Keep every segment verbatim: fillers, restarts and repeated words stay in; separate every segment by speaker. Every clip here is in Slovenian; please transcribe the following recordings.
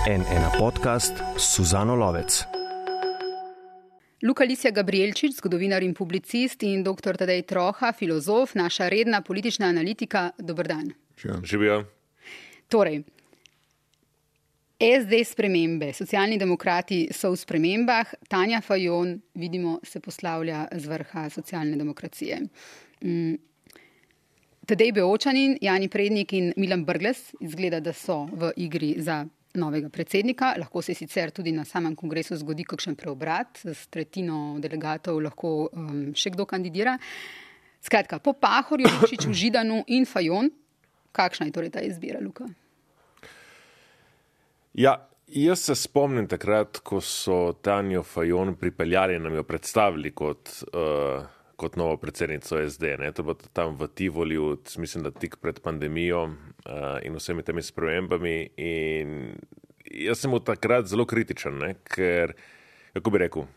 Speaker 1: en ena podcast s Suzano Lovec.
Speaker 2: Luka Lisja Gabrielčič, zgodovinar in publicist, in doktor Tadej Troha, filozof, naša redna politična analitika. Dober dan.
Speaker 3: Živijo.
Speaker 2: Torej, S D spremembe, socialni demokrati so v spremembah, Tanja Fajon, vidimo, se poslavlja z vrha socialne demokracije. Mm. Tadej Beočanin, Jani Prednik in Milan Brglez izgleda, da so v igri za novega predsednika. Lahko se sicer tudi na samem kongresu zgodi kakšen preobrat, s tretjino delegatov lahko um, še kdo kandidira. Skratka, po Pahorju, Lukšiču, Židanu in Fajon, kakšna je torej ta izbira, Luka?
Speaker 3: Ja, jaz se spomnim takrat, ko so Tanjo Fajon pripeljali in nam jo predstavili kot, uh, kot novo predsednico S D. Ne? To bo tam v Tivoliju, mislim, da tik pred pandemijo uh, in vsemi temi spremembami. In jaz sem bil takrat zelo kritičen, ne? Ker, kako bi rekel,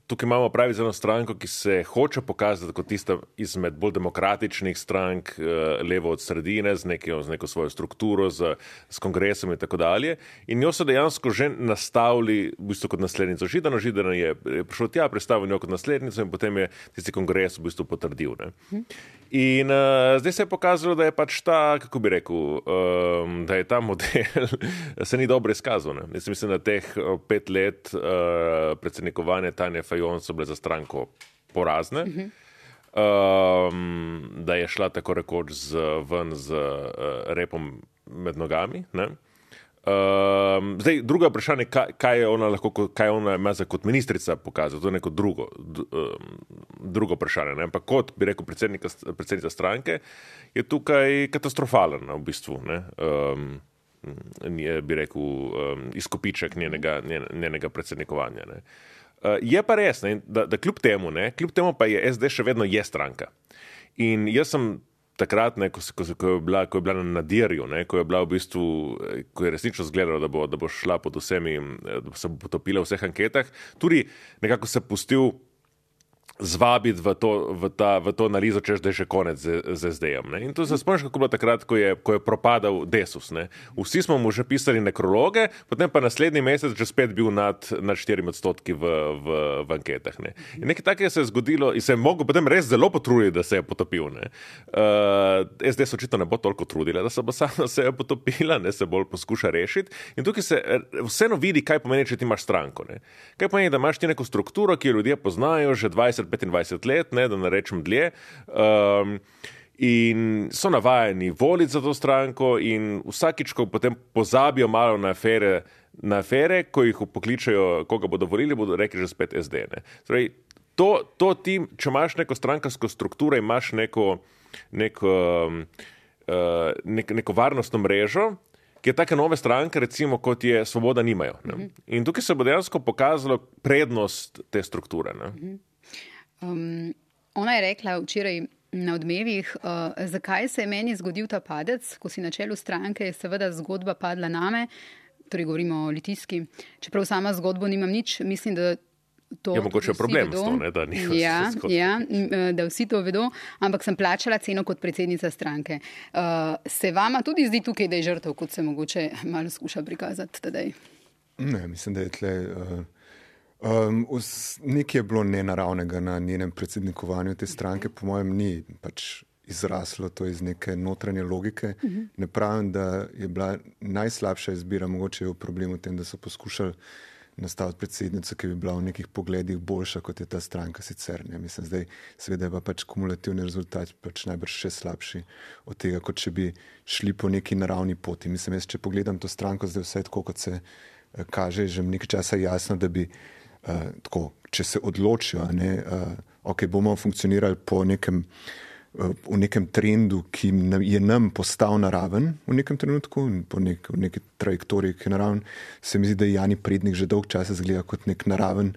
Speaker 3: tukaj imamo pravi z eno stranko, ki se hoče pokazati kot tista izmed bolj demokratičnih strank, levo od sredine, z neko, z neko svojo strukturo, z, z kongresom in tako dalje. In jo so dejansko že nastavili v bistvu kot naslednico Židana. Židan je prišel tja, predstavil njo kot naslednico in potem je tisti kongres v bistvu potrdil. Ne? In uh, zdaj se je pokazalo, da je pač ta, kako bi rekel, um, da je ta model se ni dobro izkazal. Ne? Jaz mislim, da teh pet let uh, predsednikovanja Tanje Fajon so bile za stranko porazne, uh-huh. um, da je šla tako rekoč z, ven z uh, repom med nogami. Ne? Um, zdaj, druga vprašanje, kaj, kaj je ona lahko, kaj ona ima za kot ministrica pokazala, to je neko drugo, d, um, drugo vprašanje. Ne? Ampak kot bi rekel predsednica stranke, je tukaj katastrofalen v bistvu. Ne? Um, je, bi rekel, um, izkupiček njenega, njenega predsednikovanja. Ne? Uh, je pa res, ne, da, da kljub temu, ne, kljub temu pa je S D še vedno je stranka. In jaz sem takrat, ne, ko, ko, ko, je bila, ko je bila na nadirju, ne, ko je bila v bistvu, ko je resnično zgledalo, da bo, da bo šla pod vsemi, da se bo potopila v vseh anketah, tudi nekako se pustil zvabiti v to, v ta, v to analizo, češ, da je že konec z, z S D-jem. Ne? In to se spomniš, kako bilo takrat, ko je, ko je propadal Desus. Ne? Vsi smo mu že pisali nekrologe, potem pa naslednji mesec že spet bil nad, nad štirimi odstotki v, v, v anketah. Ne? In nekaj takega se je zgodilo in se je mogel potem res zelo potruditi, da se je potopil. Ne? Uh, S D se očitno ne bo toliko trudila, da se bo sama se je potopila, ne se bolj poskuša rešiti. In tukaj se vseeno vidi, kaj pomeni, če ti imaš stranko. Ne? Kaj pomeni, da imaš ti neko strukturo, ki jo ljudje poznajo že dvajset petindvajset let, ne, da ne rečem dlje, um, in so navajeni voliti za to stranko in vsakič, ko potem pozabijo malo na afere, na afere, ko jih pokličajo, koga bodo volili, bodo rekli že spet S D. Ne. Torej, to, to ti, če imaš neko strankarsko strukturo, imaš neko, neko, uh, nek, neko varnostno mrežo, ki je take nove stranke, recimo, kot je Svoboda, nimajo. Ne. Mm-hmm. In tukaj se bo dejansko pokazalo prednost te strukture. Ne. Mm-hmm.
Speaker 2: Um, ona je rekla včeraj na Odmevih, uh, zakaj se je meni zgodil ta padec, ko si na čelu stranke, je seveda zgodba padla name, torej govorimo o Litijski. Čeprav sama zgodbo nimam nič, mislim, da to
Speaker 3: je mogoče problem
Speaker 2: vedo.
Speaker 3: S to, ne, da ni
Speaker 2: ja, ja, da vsi to vedo, ampak sem plačala ceno kot predsednica stranke. Uh, se vama tudi zdi tukaj, da je žrtev, kot se mogoče malo skuša prikazati tedaj?
Speaker 4: Ne, mislim, da je tle... Uh... Um, nekaj je bilo nenaravnega na njenem predsednikovanju te stranke, po mojem ni pač izraslo to iz neke notranje logike. Uh-huh. Ne pravim, da je bila najslabša izbira, mogoče je v problemu v tem, da so poskušali nastaviti predsednico, ki bi bila v nekih pogledih boljša, kot je ta stranka sicer. Ne? Mislim, zdaj seveda je pa pač kumulativni rezultat pač najbrž še slabši od tega, kot če bi šli po neki naravni poti. Mislim, jaz, če pogledam to stranko, zdaj vse tako, kot se uh, kaže, že nekaj časa jasno, da bi Uh, tako, če se odločijo, ne, uh, ok, bomo funkcionirali po nekem, uh, v nekem trendu, ki je nam postal naraven v nekem trenutku, po nek, v neki trajektoriji, ki je naraven, se mi zdi, da Jani Prednik že dolg časa zgleda kot nek naraven,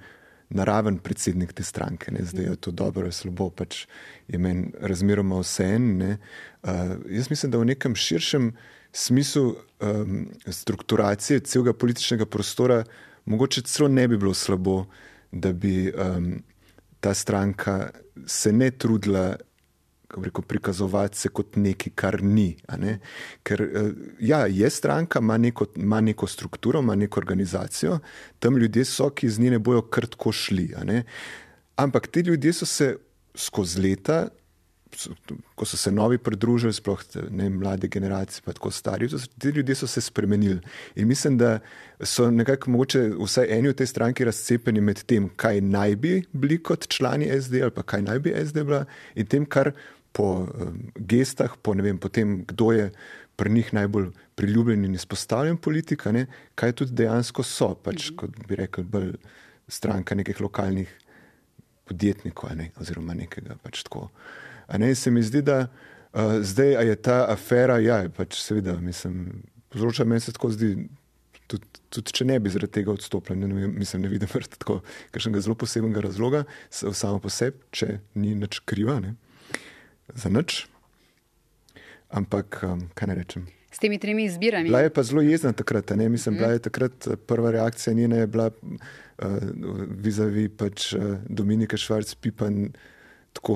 Speaker 4: naraven predsednik te stranke. Ne. Zdaj je to dobro, je slabo, pač je meni razmeroma vseeno. Ne. Uh, jaz mislim, da v nekem širšem smislu um, strukturacije celega političnega prostora mogoče celo ne bi bilo slabo, da bi um, ta stranka se ne trudila rekel, prikazovati se kot nekaj, kar ni. A ne? Ker ja, je stranka, ima neko, ima neko strukturo, ima neko organizacijo, tam ljudje so, ki z nje ne bojo kar tako šli. A ne? Ampak ti ljudje so se skozi leta, ko so se novi pridružili, sploh ne mlade generacije, pa tako stari, ti ljudje so se spremenili. In mislim, da so nekako mogoče vsaj eni v tej stranki razcepeni med tem, kaj naj bi bili kot člani S D ali pa kaj naj bi S D bila in tem, kar po um, gestah, po ne vem, po tem, kdo je pri njih najbolj priljubljen in izpostavljen politika, ne, kaj tudi dejansko so, pač, mm-hmm. kot bi rekel, bolj stranka nekih lokalnih podjetnikov, ne, oziroma nekega pač tako. A ne, se mi zdi, da uh, zdaj a je ta afera, ja, pač seveda, mislim, povzroča meni se tako zdi, tudi, tudi če ne bi zaradi tega odstopila, ne, mislim, ne vidim tako kakšnega zelo posebnega razloga, samo po sebi, če ni nič kriva, ne, za nič. Ampak, um, kaj ne rečem.
Speaker 2: S temi tremi izbirami.
Speaker 4: Bila je pa zelo jezna takrat, ne, mislim, mm. bila je takrat prva reakcija njena je bila uh, vizavi pač uh, Dominika Švarc-Pipan, tako,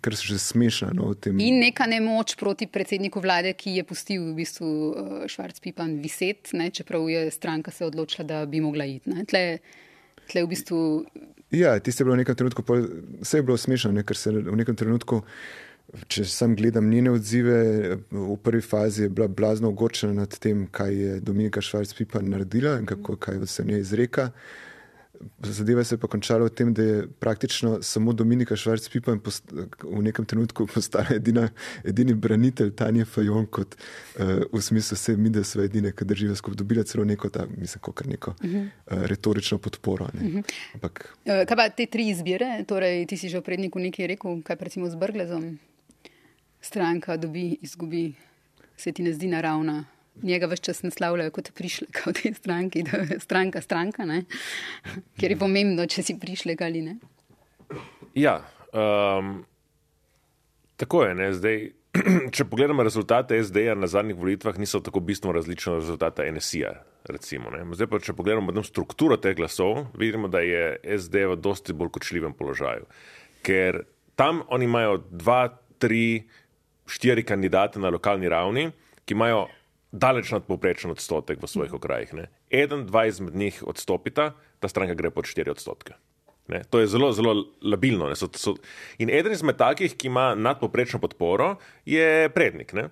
Speaker 4: kar se že smešno. No, tem...
Speaker 2: In neka nemoč proti predsedniku vlade, ki je pustil v bistvu Švarc-Pipan viset, ne, čeprav je stranka se odločila, da bi mogla iti. Ne. Tle, tle v bistvu...
Speaker 4: Ja, tiste je bilo v nekem trenutku, vse je bilo smešno, ne, ker se v nekem trenutku, če sam gledam njene odzive, v prvi fazi je bila blazno ogorčena nad tem, kaj je Dominika Švarc-Pipan naredila in kako, kaj se v njej izreka. Zadeva se je pa končala v tem, da je praktično samo Dominika Švarc-Pipan v nekem trenutku postala edina, edini branitelj Tanje Fajon, kot uh, v smislu vse mi, da so edine, ki držijo skupaj, dobila celo neko, ta, mislim, kakor neko uh-huh. uh, retorično podporo. Ne. Uh-huh. Ampak...
Speaker 2: Kaj pa te tri izbire? Torej, ti si že v predniku nekaj rekel, kaj recimo z Brglezom? Stranka dobi, izgubi, se ti ne zdi naravna. Njega več čas naslavljajo kot prišlek v tej stranki, da je stranka stranka, ne? Ker je pomembno, če si prišlek ali ne.
Speaker 3: Ja, um, tako je, ne, zdaj, če pogledamo rezultate S D-ja na zadnjih volitvah, niso tako bistveno različni od rezultata N S I-ja, recimo, ne. Zdaj pa, če pogledamo strukturo teh glasov, vidimo, da je S D v dosti bolj kočljivem položaju, ker tam oni imajo dva, tri, štiri kandidate na lokalni ravni, ki imajo daleč nadpovprečen odstotek v svojih okrajih. Ne. Eden, dva izmed njih odstopita, ta stranka gre pod štiri odstotke. Ne. To je zelo, zelo labilno. Ne. So, so... In eden izmed takih, ki ima nadpovprečno podporo, je Prednik. Ne.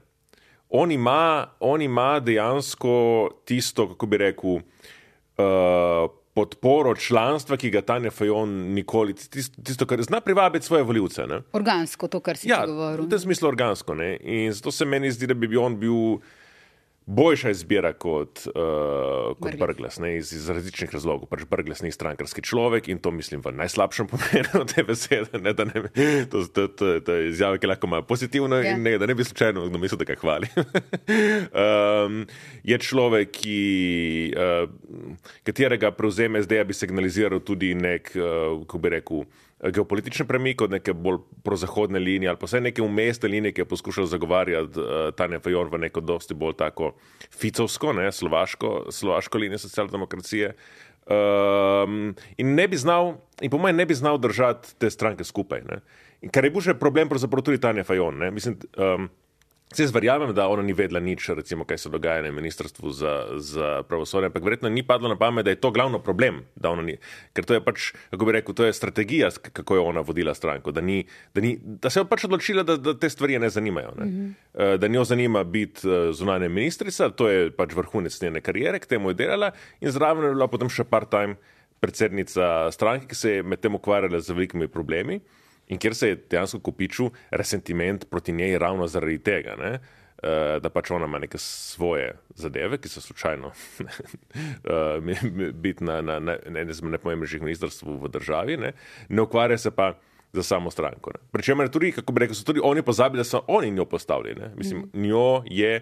Speaker 3: On, ima, on ima dejansko tisto, kako bi rekel, uh, podporo članstva, ki ga Tanja Fajon nikoli, tisto, tisto kar zna privabiti svoje volivce. Ne.
Speaker 2: Organsko, to, kar si
Speaker 3: ja,
Speaker 2: govoril.
Speaker 3: Ja, v tem smislu organsko. Ne. In zato se meni zdi, da bi on bil boljša izbira kot, uh, kot Brglez, ne, iz, iz različnih razlogov. Pač Brglez ni strankarski človek in to mislim v najslabšem pomenu te besede. Ne, da ne, to, to, to, to je izjava, ki lahko ima pozitivno yeah. in ne, da ne bi slučajno kdo mislil, da ga hvali. um, je človek, ki, uh, katerega prevzem S D-ja bi signaliziral tudi nek, uh, kako bi rekel, geopolitični premik od neke bolj prozahodne linije ali pa vse neke umestne linije, ki je poskušal zagovarjati uh, Tanja Fajon v neko dosti bolj tako ficovsko, ne, slovaško, slovaško linijo socialdemokracije. Um, in ne bi znal, in po mojem ne bi znal držati te stranke skupaj. Ne. In kar je bil še problem pravzaprav tudi Tanja Fajon. Ne. Mislim, um, Jaz verjamem, da ona ni vedela nič, recimo, kaj se dogaja na ministrstvu za, za pravosodje, ampak verjetno ni padlo na pamet, da je to glavno problem, da ona ni, ker to je pač, kako bi rekel, to je strategija, kako je ona vodila stranko, da, ni, da, ni, da se je pač odločila, da, da te stvari ne zanimajo, ne? Mm-hmm. Da njo zanima biti zunanja ministrica, to je pač vrhunec njene kariere, k temu je delala in zraven je bila potem še part-time predsednica stranke, ki se je med tem ukvarjala z velikimi problemi. In kjer se je dejansko kopičil resentiment proti njej ravno zaradi tega, ne? Da pač ona ima neke svoje zadeve, ki so slučajno biti na, na, na, na enem izmed najpomembnejših ministrstv v državi, ne? Ne ukvarja se pa za samo stranko. Ne? Pričemer tudi, kako bi rekel, so tudi oni pozabili, da so oni njo postavili. Ne? Mislim, mm. njo je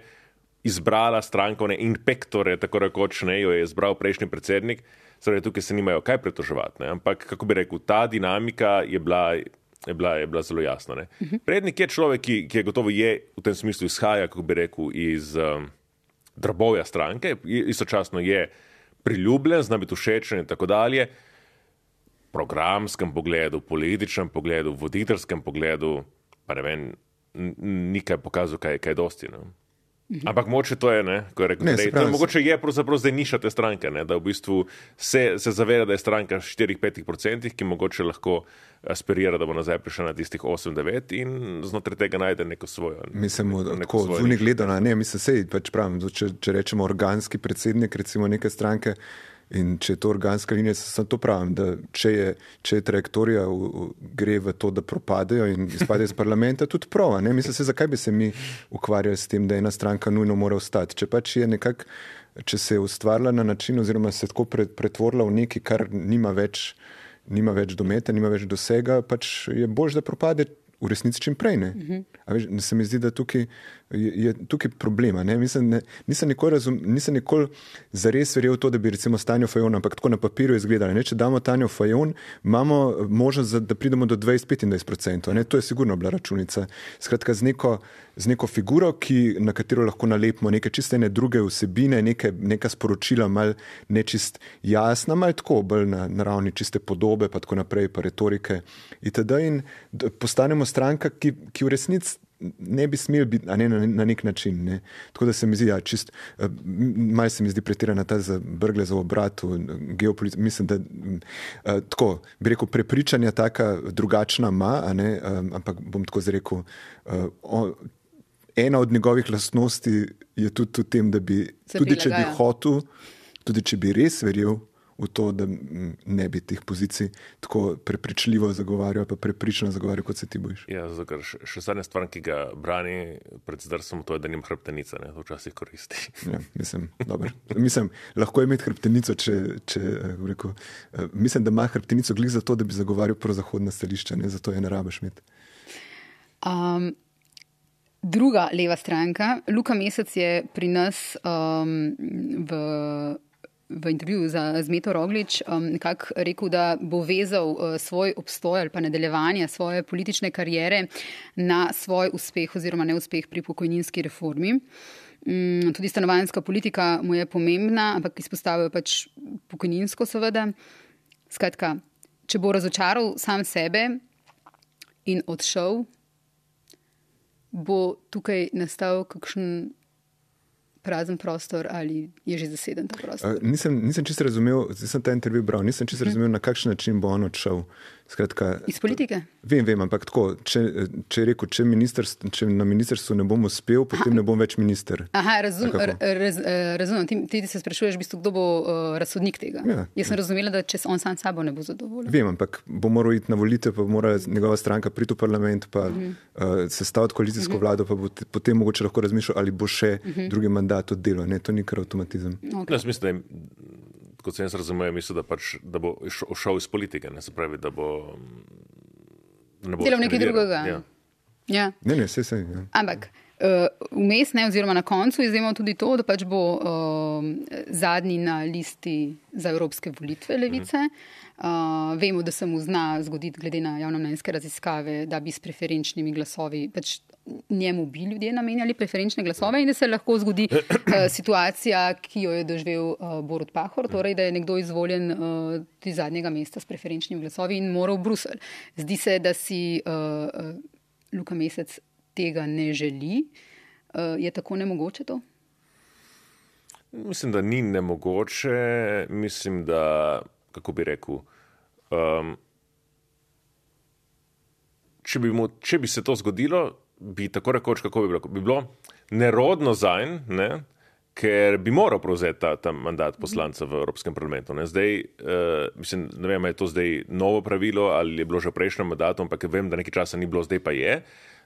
Speaker 3: izbrala strankovne inpektore, tako rekoč, ne, jo je izbral prejšnji predsednik, torej tukaj se nimajo kaj pretoževati, ne? Ampak, kako bi rekel, ta dinamika je bila Je bila, je bila zelo jasna. Ne? Uh-huh. Prednik je človek, ki, ki je gotovo je v tem smislu izhaja, kako bi rekel, iz um, drobovja stranke, istočasno je priljubljen, zna biti všečen in tako dalje. V programskem pogledu, političnem pogledu, voditeljskem pogledu pa ne vem, nikaj pokazal, kaj, kaj dosti. Ne? Ampak mogoče to je, ne, ko je rekel, ne, dej, to je, mogoče je pravzaprav zdaj niša te stranke, ne, da v bistvu se, se zaveda, da je stranka štiri do pet procentih, ki mogoče lahko aspirira, da bo nazaj prišla na tistih osem do devet in znotraj tega najde neko svojo.
Speaker 4: Mislim, tako zunaj gledano, ne, mislim, sej, pač pravim, če, če rečemo organski predsednik, recimo neke stranke, in če je to organska linija, sem to pravim, da če je, če je trajektorija v, v, gre v to, da propadejo in izpadejo iz parlamenta, tudi prava. Ne? Mislim se, zakaj bi se mi ukvarjali s tem, da ena stranka nujno mora ostati. Če pač je nekak, če se je ustvarila na način oziroma se tako pretvorila v nekaj, kar nima več, nima več dometa, nima več dosega, pač je boljše, da propade v resnici čim prej. Ne? Uh-huh. A veš, se mi zdi, da tukaj je, je tukaj problema. Ne? Mislim, ne, nisem nikoli, razum, nisem nikoli zares verjel to, da bi recimo s Tanjo Fajon, ampak tako na papirju izgledali. Ne? Če damo Tanjo Fajon, imamo možnost, da pridemo do dvajset do petindvajset procentov. To je sigurno bila računica. Skratka, z neko, z neko figuro, ki, na katero lahko nalepimo neke čiste ne druge vsebine, neke, neka sporočila, mal nečist jasna, mal tako, bolj na, na ravni čiste podobe, pa tako naprej, pa retorike itd. In postanemo stranka, ki, ki v resnici ne bi smel biti, a ne na, na nek način. Ne. Tako da se mi zdi, ja, čist, malo se mi zdi pretirana ta za brgle za obratu, geopolitika, mislim, da uh, tako, bi rekel, prepričanja taka drugačna ima, a ne, um, ampak bom tako zrekel, uh, on, ena od njegovih lastnosti je tudi v tem, da bi, se tudi prilagaja. Če bi hotel, tudi če bi res verjel v to, da ne bi teh pozicij tako prepričljivo zagovarjal, pa prepričano zagovarjal, kot se ti bojiš.
Speaker 3: Ja, zato ker še, še zadnja stvar, ki ga brani pred zdrsom, to je, da nima hrbtenica, ne, to včasih koristi.
Speaker 4: Ja, mislim, dobro. Mislim, lahko je imeti hrbtenico, če, če rekel, mislim, da ima hrbtenico glih za to, da bi zagovarjal prozahodna stališča, ne, zato je ne rabiš imeti.
Speaker 2: Um, druga leva stranka, Luka Mesec je pri nas um, v v intervjuju za Zmeto Roglič um, nekako rekel, da bo vezal uh, svoj obstoj ali pa nadaljevanje svoje politične kariere na svoj uspeh oziroma neuspeh pri pokojninski reformi. Um, tudi stanovanjska politika mu je pomembna, ampak izpostavil pač pokojninsko seveda. Skratka, če bo razočaral sam sebe in odšel, bo tukaj nastal kakšen prazen prostor ali je že zaseden ta prostor?
Speaker 4: Uh, nisem, nisem čisto razumel, sem ta intervju bral, nisem čisto razumel, na kakšen način bo on odšel. Skratka,
Speaker 2: iz politike?
Speaker 4: Vem, vem, ampak tako, če, če je rekel, če, če na ministrstvu ne bom uspel, potem Aha. ne bom več minister.
Speaker 2: Aha, razum, raz, razumem. Ti, ti se sprašuješ, v bistvu, kdo bo uh, razsodnik tega. Ja, Jaz sem ja. razumela, da če on sam sabo ne bo zadovoljen.
Speaker 4: Vem, ampak bo moral iti na volitev, pa bo morala njegova stranka priti v parlament, pa uh-huh. uh, sestaviti koalicijsko uh-huh. vlado, pa bo t- potem mogoče lahko razmišljal, ali bo še uh-huh. drugi mandat oddelal. Ne, to ni kar avtomatizem.
Speaker 3: Okay. Jaz mislim, da je, kot sem jaz razumel, mislim, da, pač, da bo šel iz politike, ne, se pravi, da bo
Speaker 2: delal nekaj drugega.
Speaker 3: Ja.
Speaker 2: Ja.
Speaker 4: Ne, ne, vse se. Ja.
Speaker 2: Ampak vmes, uh, ne, oziroma na koncu izjemno tudi to, da pač bo uh, zadnji na listi za evropske volitve Levice. Uh, vemo, da se mu zna zgoditi, glede na javnomnenjske raziskave, da bi s preferenčnimi glasovi pač njemu bi ljudje namenjali preferenčne glasove in da se lahko zgodi uh, situacija, ki jo je doživel uh, Borut Pahor, torej da je nekdo izvoljen uh, tudi zadnjega mesta s preferenčnimi glasovi in mora v Bruselj. Zdi se, da si uh, uh, Luka Mesec tega ne želi. Uh, je tako nemogoče to?
Speaker 3: Mislim, da ni nemogoče. Mislim, da, kako bi rekel, um, če, bi mu, če bi se to zgodilo, bi tako rekoč, kako bi bilo, bi bilo nerodno zanj, ne, ker bi moral prevzeti ta, ta mandat poslanca v Evropskem parlamentu. Ne. Zdaj, uh, mislim, ne vem, je to zdaj novo pravilo ali je bilo že v prejšnjem mandatu, ampak vem, da nekaj časa ni bilo, zdaj pa je,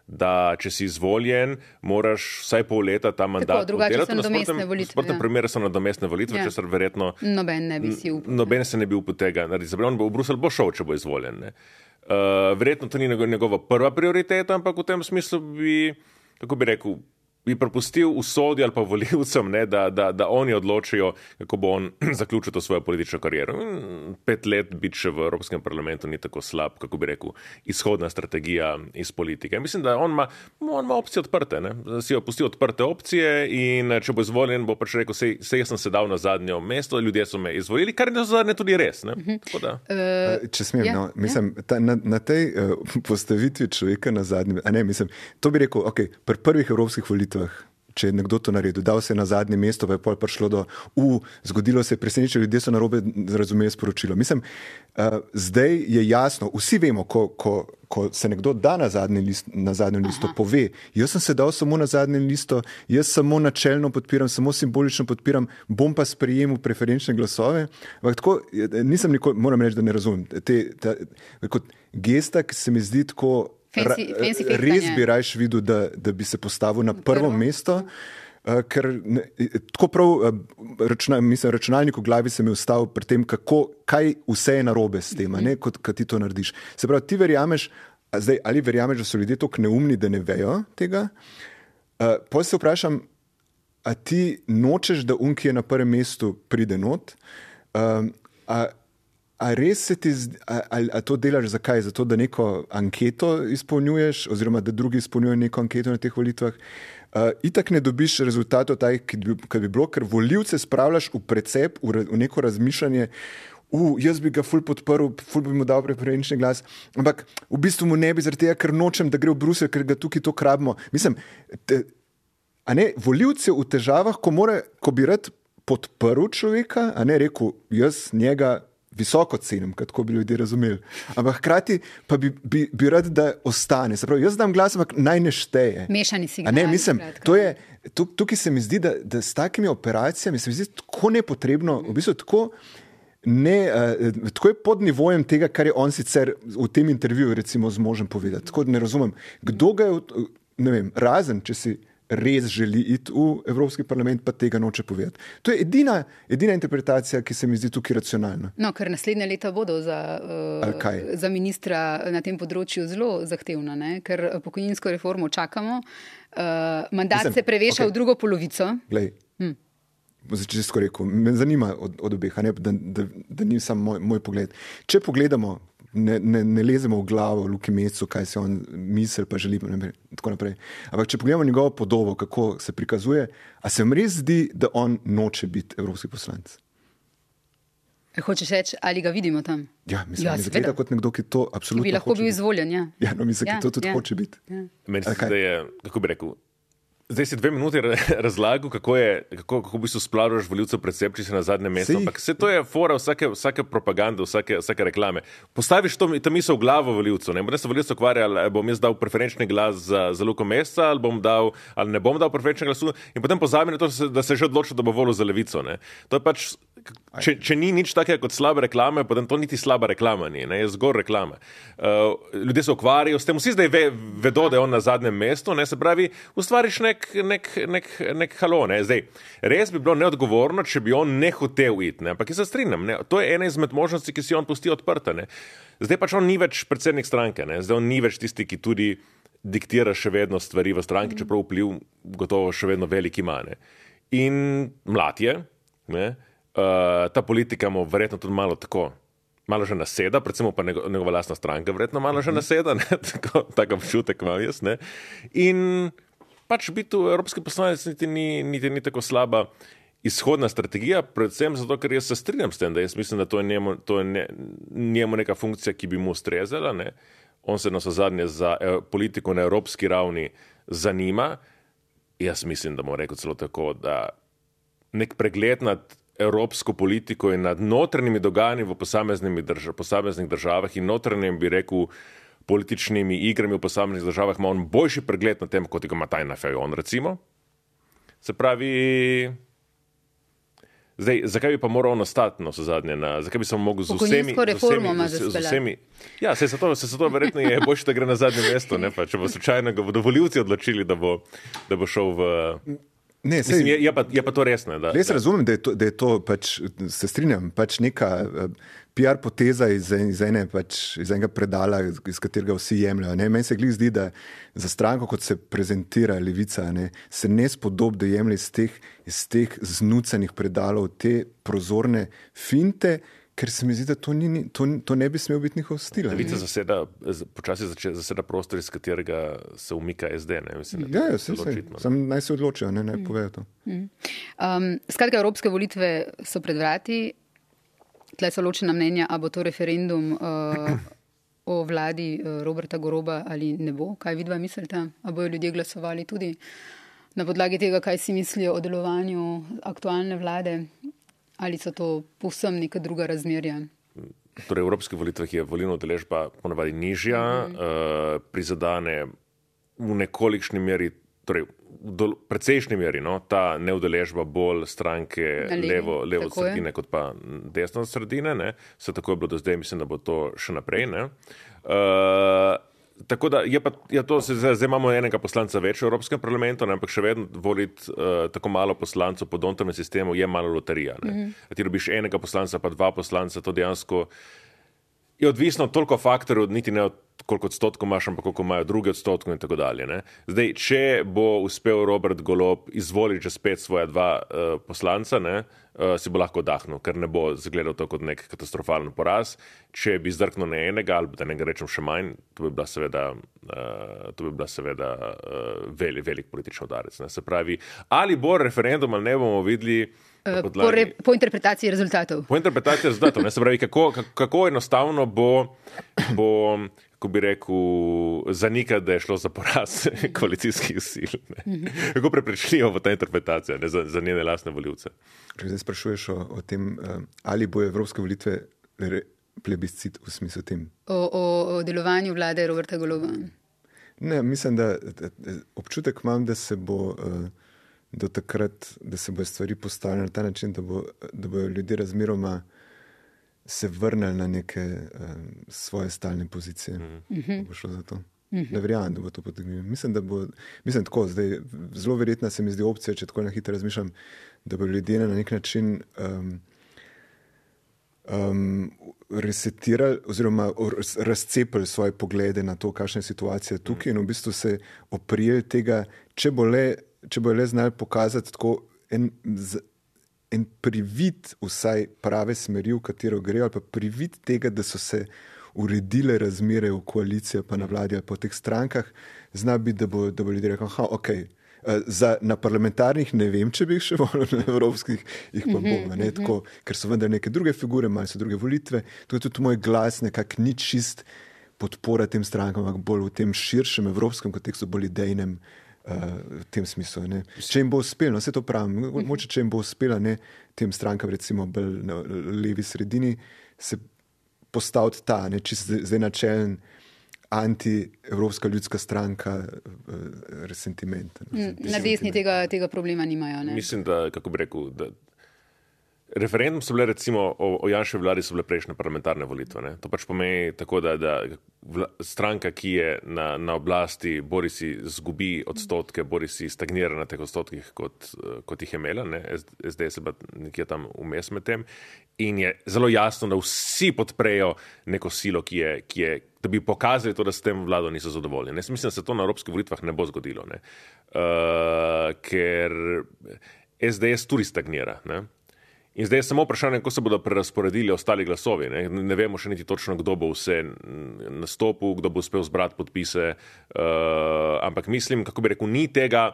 Speaker 3: da če si izvoljen, moraš vsaj pol leta ta mandat
Speaker 2: oddelati. Drugače so nadomestne volitve.
Speaker 3: V sportnem ja. primeru so nadomestne volitve,
Speaker 2: ja.
Speaker 3: česar verjetno
Speaker 2: noben ne bi si upal.
Speaker 3: Noben se ne bi upal tega narediti. Zapravo, on bo v Bruselj bo šel, če bo izvoljen. Ne. Uh, verjetno to ni njegova prva prioriteta, ampak v tem smislu bi, kako bi rekel, bi prepustil usodi ali pa volivcem, ne, da, da, da oni odločijo, kako bo on zaključil to svojo politično kariero. In pet let biti še v Evropskem parlamentu ni tako slab, kako bi rekel, izhodna strategija iz politike. Mislim, da on ima, on ima opcije odprte, ne. Si jo pustil odprte opcije in če bo izvoljen, bo pač rekel, sej, sej jaz sem se dal na zadnjo mesto, ljudje so me izvolili, kar je zadnje tudi res. Ne. Tako da.
Speaker 2: Uh,
Speaker 4: če smem,
Speaker 2: ja,
Speaker 4: no, mislim, ta, na, na tej uh, postavitvi človeka na zadnjem, a ne, mislim, to bi rekel, ok, pri prvih evropskih volitvah, če je nekdo to naredil, dal se na zadnje mesto, pa je pol prišlo do, u, zgodilo se je presenečenje, ljudje so narobe razumeli sporočilo. Mislim, uh, zdaj je jasno, vsi vemo, ko, ko, ko se nekdo da na zadnji list, na zadnjo listo, Aha. pove, jaz sem se dal samo na zadnjo listo, jaz samo načelno podpiram, samo simbolično podpiram, bom pa sprejemil preferenčne glasove. Ampak tako, nisem nikoli, moram reči, da ne razumem. Te, ta, kot gesta, ki se mi zdi tako,
Speaker 2: Fancy, fancy
Speaker 4: res bi rajš videl, da, da bi se postavil na prvo, prvo? mesto, uh, ker ne, tako prav uh, računa, mislim, računalnik v glavi se mi ustavil pri tem, kako, kaj vse je narobe s tem, ne, kot kad ti to narediš. Se pravi, ti verjameš, zdaj, ali verjameš, da so ljudje toliko neumni, da ne vejo tega? Uh, potem se vprašam, a ti nočeš, da un, ki je na prvem mestu, pride not? Uh, a A res se ti, a, a, a to delaš zakaj? Zato, da neko anketo izpolnjuješ, oziroma da drugi izpolnjujejo neko anketo na teh volitvah. Uh, itak ne dobiš rezultatov taj, ki bi, ki bi bilo, ker volivce spravljaš v precep, v, v neko razmišljanje, uh, jaz bi ga ful podprl, ful bi mu dal preferenčni glas, ampak v bistvu mu ne bi zaradi tega, ker nočem, da gre v Bruselj, ker ga tukaj to krabimo. Mislim, te, a ne, volivce v težavah, ko, more, ko bi rad podprl človeka, a ne rekel, jaz njega visoko cenim, kako bi ljudje razumeli. Ampak hkrati pa bi, bi, bi rad, da ostane. Se pravi, jaz dam glas, ampak naj ne šteje.
Speaker 2: Mešani signal.
Speaker 4: Ne, mislim, to je, tukaj se mi zdi, da, da s takimi operacijami se mi zdi tako nepotrebno, v bistvu tako, ne, uh, tako je pod nivojem tega, kar je on sicer v tem intervjuju recimo z možem povedati. Tako ne razumem, kdo ga je, ne vem, razen, če si res želi iti v Evropski parlament, pa tega noče povedati. To je edina, edina interpretacija, ki se mi zdi tukaj racionalna.
Speaker 2: No, ker naslednje leta bodo za, uh, za ministra na tem področju zelo zahtevna, ne? Ker pokojninsko reformo čakamo. Uh, mandat Mislim, se preveša okay. v drugo polovico.
Speaker 4: Glej, hm. Čisto rekel, me zanima od, od obeh, ne? da, da, da ni samo moj, moj pogled. Če pogledamo, Ne, ne, ne lezemo v glavo Luki Mesecu, kaj se on misli, pa želi, in tako naprej. Ampak če pogledamo njegovo podobo, kako se prikazuje, a se vam res zdi, da on noče biti evropski poslanec?
Speaker 2: Hočeš reči, ali ga vidimo tam?
Speaker 4: Ja, mislim, ja, mi zgleda kot nekdo, ki to absolutno hoče.
Speaker 2: Bi lahko bil izvoljen, ja.
Speaker 4: Ja, no, mislim, ja, ki to tudi ja, hoče biti.
Speaker 3: Ja. Meni se zdaj je, kako bi rekel, zdaj si dve minuti razlagal, kako je, kako, kako v bistvu splavljaš voljivcev precep, če si na zadnjem mestu. Ampak vse to je fora vsake, vsake propagande, vsake, vsake reklame. Postaviš to, ta misel v glavo voljivcev. Ne bom se voljivcev ukvarjal, ali bom jaz dal preferenčni glas za, za Luko Meseca, ali bom dal, ali ne bom dal preferenčni glasu. In potem pozabi na to, da se že odločil, da bo volil za Levico. Ne. To je pač, če, če ni nič takega kot slabe reklame, potem to niti slaba reklama ni, ne, je zgor reklame. Uh, ljudje se ukvarjajo s tem, vsi zdaj ve, vedo, da je on na zadnjem mestu, ne, se pravi, ustvariš nek nek, nek, nek halo, ne. Zdaj, res bi bilo neodgovorno, če bi on ne hotel iti, ne. Ampak jaz se strinjam, ne. To je ena izmed možnosti, ki si on pusti odprta, ne. Zdaj pač on ni več predsednik stranke, ne. Zdaj on ni več tisti, ki tudi diktira še vedno stvari v stranki, mm. čeprav vpliv gotovo še vedno velik ima, ne. In mlad je, ne. Uh, ta politika mu verjetno tudi malo tako, malo že naseda, predvsem pa njegova, njegova lastna stranka verjetno malo že naseda, ne. Tako, tako občutek imam jaz, ne. In pač biti v evropski poslanec niti ni, niti ni tako slaba izhodna strategija, predvsem zato, ker jaz se strinjam s tem, da jaz mislim, da to je njemu, to je ne, njemu neka funkcija, ki bi mu ustrezala, ne. On se navsezadnje za eh, politiko na evropski ravni zanima. Jaz mislim, da bom rekel celo tako, da nek pregled nad evropsko politiko in nad notranjimi dogajanji v posameznih držav, posameznih državah in notranjim, bi rekel, političnimi igrami v posameznih državah ima on boljši pregled na tem, kot ga ima Tanja Fajon, recimo. Se pravi, zdaj, zakaj bi pa moral on ostati na vsezadnje, zakaj bi se mogel z vsemi...
Speaker 2: Pokojninsko reformo ima
Speaker 3: z, z vsemi, ja, se zato, se zato verjetno je boljše, da gre na zadnje mesto, ne pa, če bo slučajno ga bodo volivci odločili, da bo, da bo šel v...
Speaker 4: Ne, sej,
Speaker 3: Mislim, je, je, pa, je pa to resno. Da,
Speaker 4: jaz
Speaker 3: da.
Speaker 4: razumem, da je to, da je to pač, se strinjam, pač neka uh, P R poteza iz, iz, ene, pač, iz enega predala, iz katerega vsi jemljajo. Ne? Meni se glih zdi, da za stranko, kot se prezentira Levica, ne, se ne spodob, da jemlje iz teh, iz teh znucanih predalov te prozorne finte, ker se mi zdi, da to, ni, to, to ne bi smel biti njihov stil.
Speaker 3: Levica zaseda, počasi zaseda prostor, iz katerega se umika S D. Ne? Mislim,
Speaker 4: ja, ja, se, se. Sam naj se odločijo, ne, naj mm. povejo to.
Speaker 2: Mm. Um, skratka, evropske volitve so pred vrati. Tle so ločena mnenja, a bo to referendum uh, o vladi uh, Roberta Goloba ali ne bo. Kaj vidva mislite? A bojo ljudje glasovali tudi na podlagi tega, kaj si mislijo o delovanju aktualne vlade? Ali so to povsem neka druga razmerja?
Speaker 3: Torej, v evropskih volitvah je volilna udeležba ponavadi nižja, mm -hmm. uh, prizadane v nekolikšni meri, torej v precejšnji meri, no, ta neudeležba bolj stranke levo, levo od sredine, kot pa desno od sredine. Ne. Vse tako je bilo do zdaj, mislim, da bo to še naprej. Ne. Uh, Tako da je pa, ja, to se, zdaj imamo enega poslanca več v Evropskem parlamentu, ne, ampak še vedno voliti uh, tako malo poslancov po Dontovem sistemu je malo loterija. Ne. Mm-hmm. Ti dobiš enega poslanca, pa dva poslanca, to dejansko je odvisno od toliko faktorjev, niti ne od koliko odstotkov imaš, ampak koliko imajo drugi odstotkov in tako dalje. Ne. Zdaj, če bo uspel Robert Golob izvoliti že spet svoja dva uh, poslanca, ne, uh, si bo lahko oddahnil, ker ne bo zgledal to kot nek katastrofalen poraz. Če bi zdrknil ne enega, ali da ne ga rečem še manj, to bi bila seveda, uh, to bi bila seveda uh, velik, velik politični udarec. Ne. Se pravi, ali bo referendum ali ne, bomo videli
Speaker 2: podlagi, po, re, po interpretaciji rezultatov.
Speaker 3: Po interpretaciji rezultatov. Ne. Se pravi, kako, kako enostavno bo, bo kako bi rekel, zanika, da je šlo za poraz koalicijskih sil. Ne. Kako prepričljivo bo ta interpretacija, ne, za, za njene lastne volivce.
Speaker 4: Zdaj sprašuješ o, o tem, ali bo evropske volitve plebiscit v smislu tem?
Speaker 2: O, o, o delovanju vlade Roberta Goloba.
Speaker 4: Ne, mislim, da, da, da občutek imam, da se bo do takrat, da se bo stvari postavljene na ta način, da bo, da bo ljudje razmeroma se vrnili na neke um, svoje stalne pozicije. Mm-hmm. Bo šlo za to. Mm-hmm. Ne verjamem, da bo to potegnilo. Mislim, da bo, mislim tako, zdaj, zelo verjetna se mi zdi opcija, če tako na hitro razmišljam, da bo ljudje na nek način um, um, resetirali oziroma razcepili svoje poglede na to, kakšna je situacija tukaj, mm. in v bistvu se oprijeli tega, če bo le, če bo le znali pokazati tako en, z, en privid vsaj prave smeri, v katero grejo, ali pa privid tega, da so se uredile razmere v koaliciji pa na vladi ali pa v teh strankah, zna biti, da bo, da bo ljudje rekel, aha, ok, za, na parlamentarnih ne vem, če bi jih še volil, na evropskih jih pa bom, ne, tako, ker so vendar neke druge figure, malo so druge volitve, to je tudi moj glas nekako ni čist podpora tem strankam, ampak bolj v tem širšem evropskem kontekstu, bolj idejnem Uh, v tem smislu. Ne. Če jim bo uspelo, no, vse to pravim, moče, če jim bo uspelo, ne, tem strankam, recimo bolj na levi sredini, se postaviti ta, ne, čist zdaj načelen anti-evropska ljudska stranka uh, resentiment.
Speaker 2: Ne, na desni tega, tega problema nimajo. Ne.
Speaker 3: Mislim, da, kako bi rekel, da referendum so bile recimo o, o Janševi vladi so bile prejšnje parlamentarne volitve. Ne? To pač pomeni tako, da, da vla, stranka, ki je na, na oblasti, bori si zgubi odstotke, bori si stagnira na teh odstotkih, kot, kot jih je imela. Ne? S D se pa nekje tam vmes med tem. In je zelo jasno, da vsi podprejo neko silo, ki je, ki je, da bi pokazali to, da s tem vlado niso zadovoljni. Ne? Mislim, da se to na evropskih volitvah ne bo zgodilo. Ne? Uh, ker S D S tudi stagnira. Ne? In zdaj je samo vprašanje, kako se bodo prerasporedili ostali glasovi. Ne, ne vemo še niti točno, kdo bo vse nastopil, kdo bo uspel zbrati podpise, uh, ampak mislim, kako bi rekel, ni tega,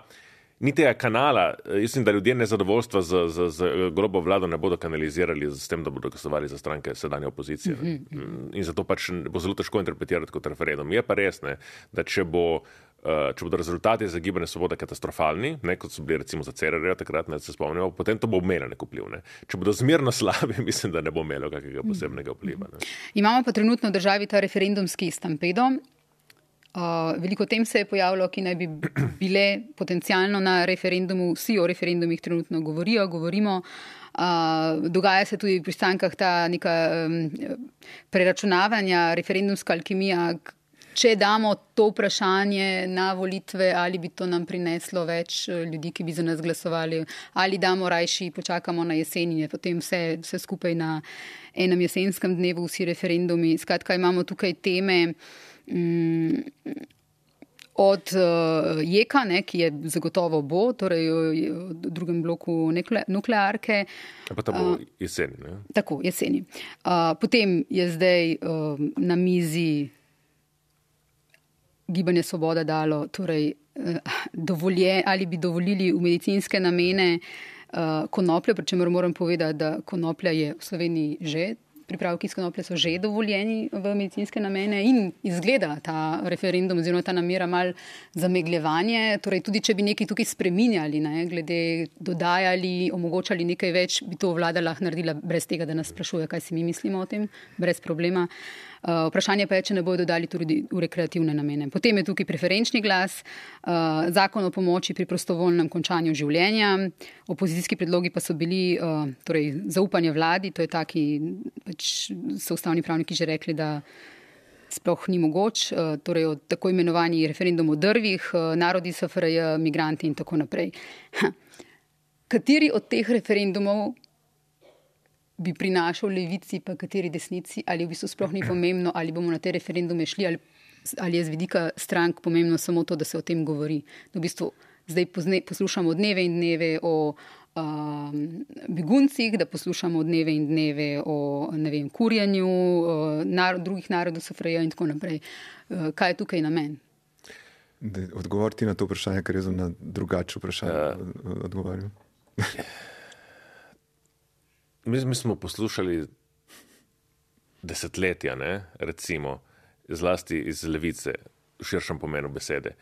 Speaker 3: ni tega kanala. Mislim, da ljudje nezadovoljstva z, z, z Golobovo vlado ne bodo kanalizirali s tem, da bodo glasovali za stranke sedanje opozicije. Mm-hmm. In zato pač bo zelo težko interpretirati kot referendum. Je pa res, ne, da če bo če bodo rezultati za Gibanje Svoboda katastrofalni, ne, kot so bili recimo za Cerarja takrat, ne se spomnimo, potem to bo imelo nek vpliv. Ne. Če bodo zmerno slabi, mislim, da ne bo imelo kakega posebnega vpliva. Ne.
Speaker 2: Imamo pa trenutno v državi ta referendumski stampedo. Uh, veliko tem se je pojavilo, ki naj bi bile potencialno na referendumu. Vsi o referendumih trenutno govorijo, govorimo. Uh, dogaja se tudi pri strankah ta neka um, preračunavanja, referendumska alkimija, če damo to vprašanje na volitve, ali bi to nam prineslo več ljudi, ki bi za nas glasovali, ali damo rajši, počakamo na jesen in je potem vse, vse skupaj na enem jesenskem dnevu, vsi referendumi. Skratka, imamo tukaj teme mm, od uh, jeka, ne, ki je zagotovo bo, torej v drugem bloku nekle, nuklearke.
Speaker 3: Pa ta bo jeseni, ne?
Speaker 2: Tako, jeseni. Uh, potem je zdaj uh, na mizi Gibanje Svoboda dalo, torej uh, dovolje, ali bi dovolili v medicinske namene uh, konoplje, pri čemer moram povedati, da konoplja je v Sloveniji že pripravki iz konoplje so že dovoljeni v medicinske namene in izgleda ta referendum oziroma ta namera mal zamegljevanje. Torej, tudi če bi nekaj tukaj spreminjali, ne, glede dodajali, omogočali nekaj več, bi to vlada lahko naredila brez tega, da nas sprašuje, kaj si mi mislimo o tem, brez problema. Uh, vprašanje pa je, če ne bodo dodali tudi v rekreativne namene. Potem je tukaj preferenčni glas, uh, zakon o pomoči pri prostovoljnem končanju življenja, opozicijski predlogi pa so bili uh, torej, zaupanje vladi, to je taki, pač so ustavni pravniki že rekli, da sploh ni mogoč, uh, torej o tako imenovani referendum o drvih, uh, narodi S F R J, migranti in tako naprej. Ha. Kateri od teh referendumov bi prinašal levici, pa kateri desnici, ali v bistvu sploh ni pomembno, ali bomo na te referendume šli, ali, ali je z vidika strank pomembno samo to, da se o tem govori. V bistvu zdaj pozne, poslušamo dneve in dneve o um, beguncih, da poslušamo dneve in dneve o, ne vem, kurjanju, uh, nar, drugih narodov S F R J in tako naprej. Uh, kaj je tukaj namen?
Speaker 4: Odgovoriti na to vprašanje, ker jaz sem na drugače vprašanje uh. odgovarjal.
Speaker 3: Mi, mi smo poslušali desetletja, ne, recimo, zlasti iz levice, v širšem pomenu besede,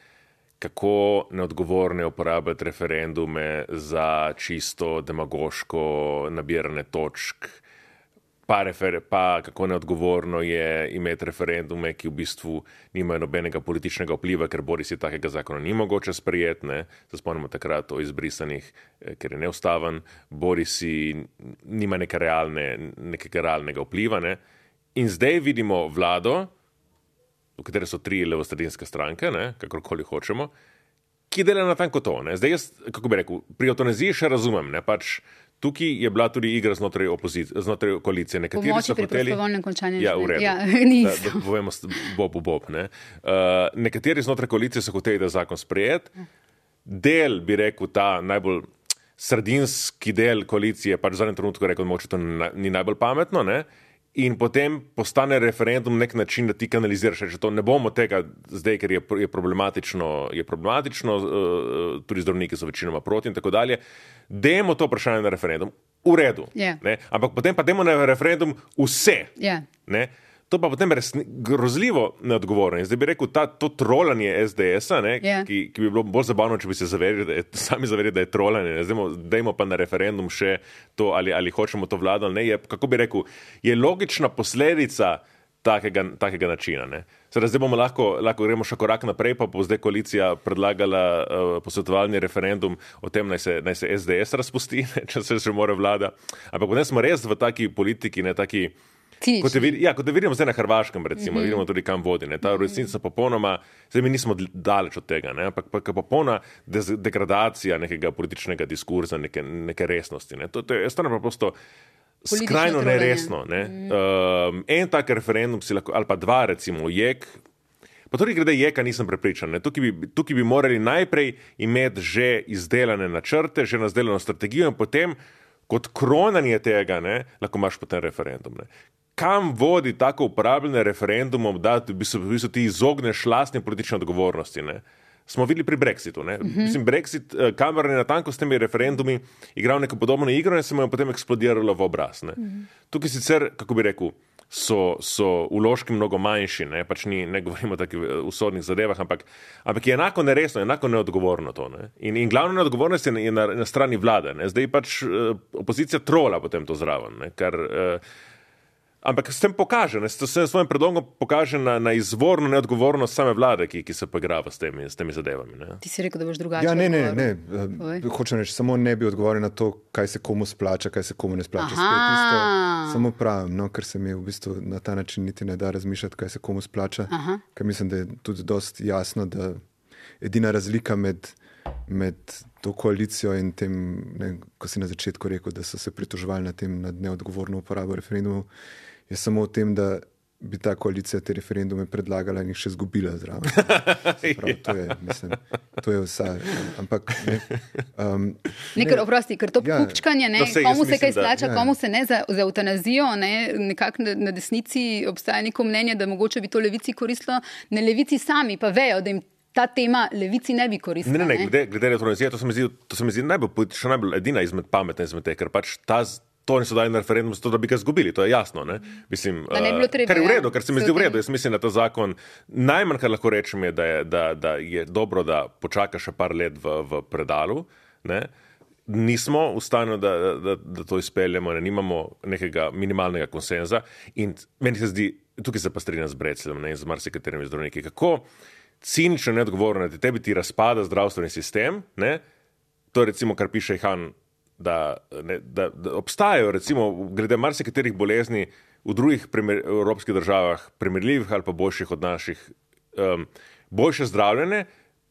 Speaker 3: kako neodgovorne uporabljati referendume za čisto demagoško nabiranje točk, pa, refer, pa kako neodgovorno je imeti referendume, ki v bistvu nimajo nobenega političnega vpliva, ker bodi si takega zakona ni mogoče sprejeti, ne, se spomnimo takrat o izbrisanih, ker je neustaven, bodi si nima neke realne, nekega realnega vpliva, ne. In zdaj vidimo vlado, v kateri so tri levosredinske stranke, ne, kakorkoli hočemo, ki dela natanko to, ne. Zdaj jaz, kako bi rekel, pri eutanaziji še razumem, ne, pač tukaj je bila tudi igra znotraj opozicije, znotraj koalicije. Nekateri so hoteli... Pomoči pri
Speaker 2: prostovoljnem končanju
Speaker 3: ja, v redu.
Speaker 2: Ja, niso.
Speaker 3: Da, da povemo bob, bob, ne. Uh, nekateri znotraj koalicije so hoteli, da zakon sprejet. Del, bi rekel, ta najbolj sredinski del koalicije, pač v zadnjem trenutku rekel, moče to ni najbolj pametno, ne. In potem postane referendum nek način, da ti kanaliziraš, že to ne bomo tega zdaj, ker je, je problematično, je problematično, uh, tudi zdravniki so večinoma proti in tako dalje. Dajmo to vprašanje na referendum. V redu.
Speaker 2: Yeah.
Speaker 3: Ne? Ampak potem pa dajmo na referendum vse.
Speaker 2: Yeah.
Speaker 3: Ne? To pa potem resni, grozljivo neodgovorno. In zdaj bi rekel, ta, to trolanje S D S-a, ne,
Speaker 2: yeah.
Speaker 3: ki, ki bi bilo bolj zabavno, če bi se zaverili, da je, sami zaverili, da je trolanje. Ne, zdajmo, dajmo pa na referendum še to, ali, ali hočemo to vlado, ali ne. Je, kako bi rekel, je logična posledica takega, takega načina. Ne. Sedaj, zdaj bomo lahko, lahko gremo še korak naprej, pa bo zdaj koalicija predlagala uh, posvetovalni referendum o tem, naj se, naj se S D S razpusti, ne, če se že more vlada. Ampak potem smo res v taki politiki, ne taki. Kot je, ja, kot je vidimo zdaj na Hrvaškem, recimo, mm-hmm. vidimo tudi kam vodi. Ne. Ta resnica popolnoma, zdaj mi nismo daleč od tega, ne, ampak pa popolna degradacija nekega političnega diskurza, neke, neke resnosti. Ne. To, to je stvarno prosto skrajno neresno. Ne. Mm-hmm. Um, en tak referendum si lahko, ali pa dva recimo, jek, pa tudi glede jeka nisem prepričan. Ne. Tukaj, bi, tukaj bi morali najprej imeti že izdelane načrte, že izdelano strategijo in potem kot kronanje tega, ne, lahko imaš potem referendum. Ne. Kam vodi tako uporabljene referendumom, da v bistvu, v bistvu ti izogneš lastne politične odgovornosti, ne? Smo videli pri Brexitu, ne? Mm-hmm. Mislim, Brexit, Cameron je natanko s temi referendumi igral neko podobno igro in se mu je potem eksplodiralo v obraz, ne? Mm-hmm. Tukaj sicer, kako bi rekel, so, so vložki mnogo manjši, ne? Pač ni, ne govorimo o takih usodnih zadevah, ampak, ampak je enako neresno, enako neodgovorno to, ne? In, in glavna neodgovornost je na, je na, na strani vlade, ne? Zdaj pač uh, opozicija trola potem to zraven, ne? Kar... Uh, Ampak s tem pokaže, ne, s svojim predlogom pokaže na, na izvorno neodgovornost same vlade, ki, ki se poigrava s temi, s temi zadevami. Ne.
Speaker 2: Ti si rekel, da boš drugače.
Speaker 4: Ja, ne, ne, ne. Uh, hočem reči, samo ne bi odgovoril na to, kaj se komu splača, kaj se komu ne splača. Isto, samo pravim, no, ker se mi v bistvu na ta način niti ne da razmišljati, kaj se komu splača. Aha. Ker mislim, da je tudi dosti jasno, da edina razlika med, med to koalicijo in tem, ne, ko si na začetku rekel, da so se pritoževali na tem, nad neodgovorno uporabo referendumov, je samo v tem, da bi ta koalicija te referendume predlagala in jih še zgubila zraven. Prav, to je, mislim, to je vsa. Ampak, ne, um,
Speaker 2: ne, ker, oprosti, ker to ja, kupčkanje, ne,
Speaker 3: se,
Speaker 2: komu se
Speaker 3: mislim,
Speaker 2: kaj splača,
Speaker 3: da,
Speaker 2: ja. komu se ne za, za eutanazijo, ne, nekako na, na desnici obstaja neko mnenje, da mogoče bi to levici koristilo, ne levici sami pa vejo, da jim ta tema levici ne bi koristila.
Speaker 3: Ne, ne, ne, glede, glede eutanazije, to se mi zdi, to se mi zdi najbolj politično, najbolj edina izmed pametne izmed te, ker pač ta to niso dali na referendum zato, da bi ga zgubili, to je jasno, ne? Mislim,
Speaker 2: da ne bi bilo treba,
Speaker 3: kar je v redu,
Speaker 2: ja,
Speaker 3: kar se mi zdi v redu. Jaz mislim, da ta zakon, najmanj, kar lahko rečem, je, da je, da, da je dobro, da počaka še par let v, v predalu, ne? Nismo v stanju, da, da, da to izpeljemo, ne? Nimamo nekega minimalnega konsenza in meni se zdi, tukaj se pa strinjam z Brecljem, ne? In z marsikaterimi zdravniki, kako cinično neodgovorno, da tebi ti razpada zdravstveni sistem, ne? To je recimo, kar piše Han, Da, ne, da, da obstajajo, recimo, glede marsikaterih bolezni v drugih primer, evropskih državah, primerljivih ali pa boljših od naših, um, boljše zdravljene,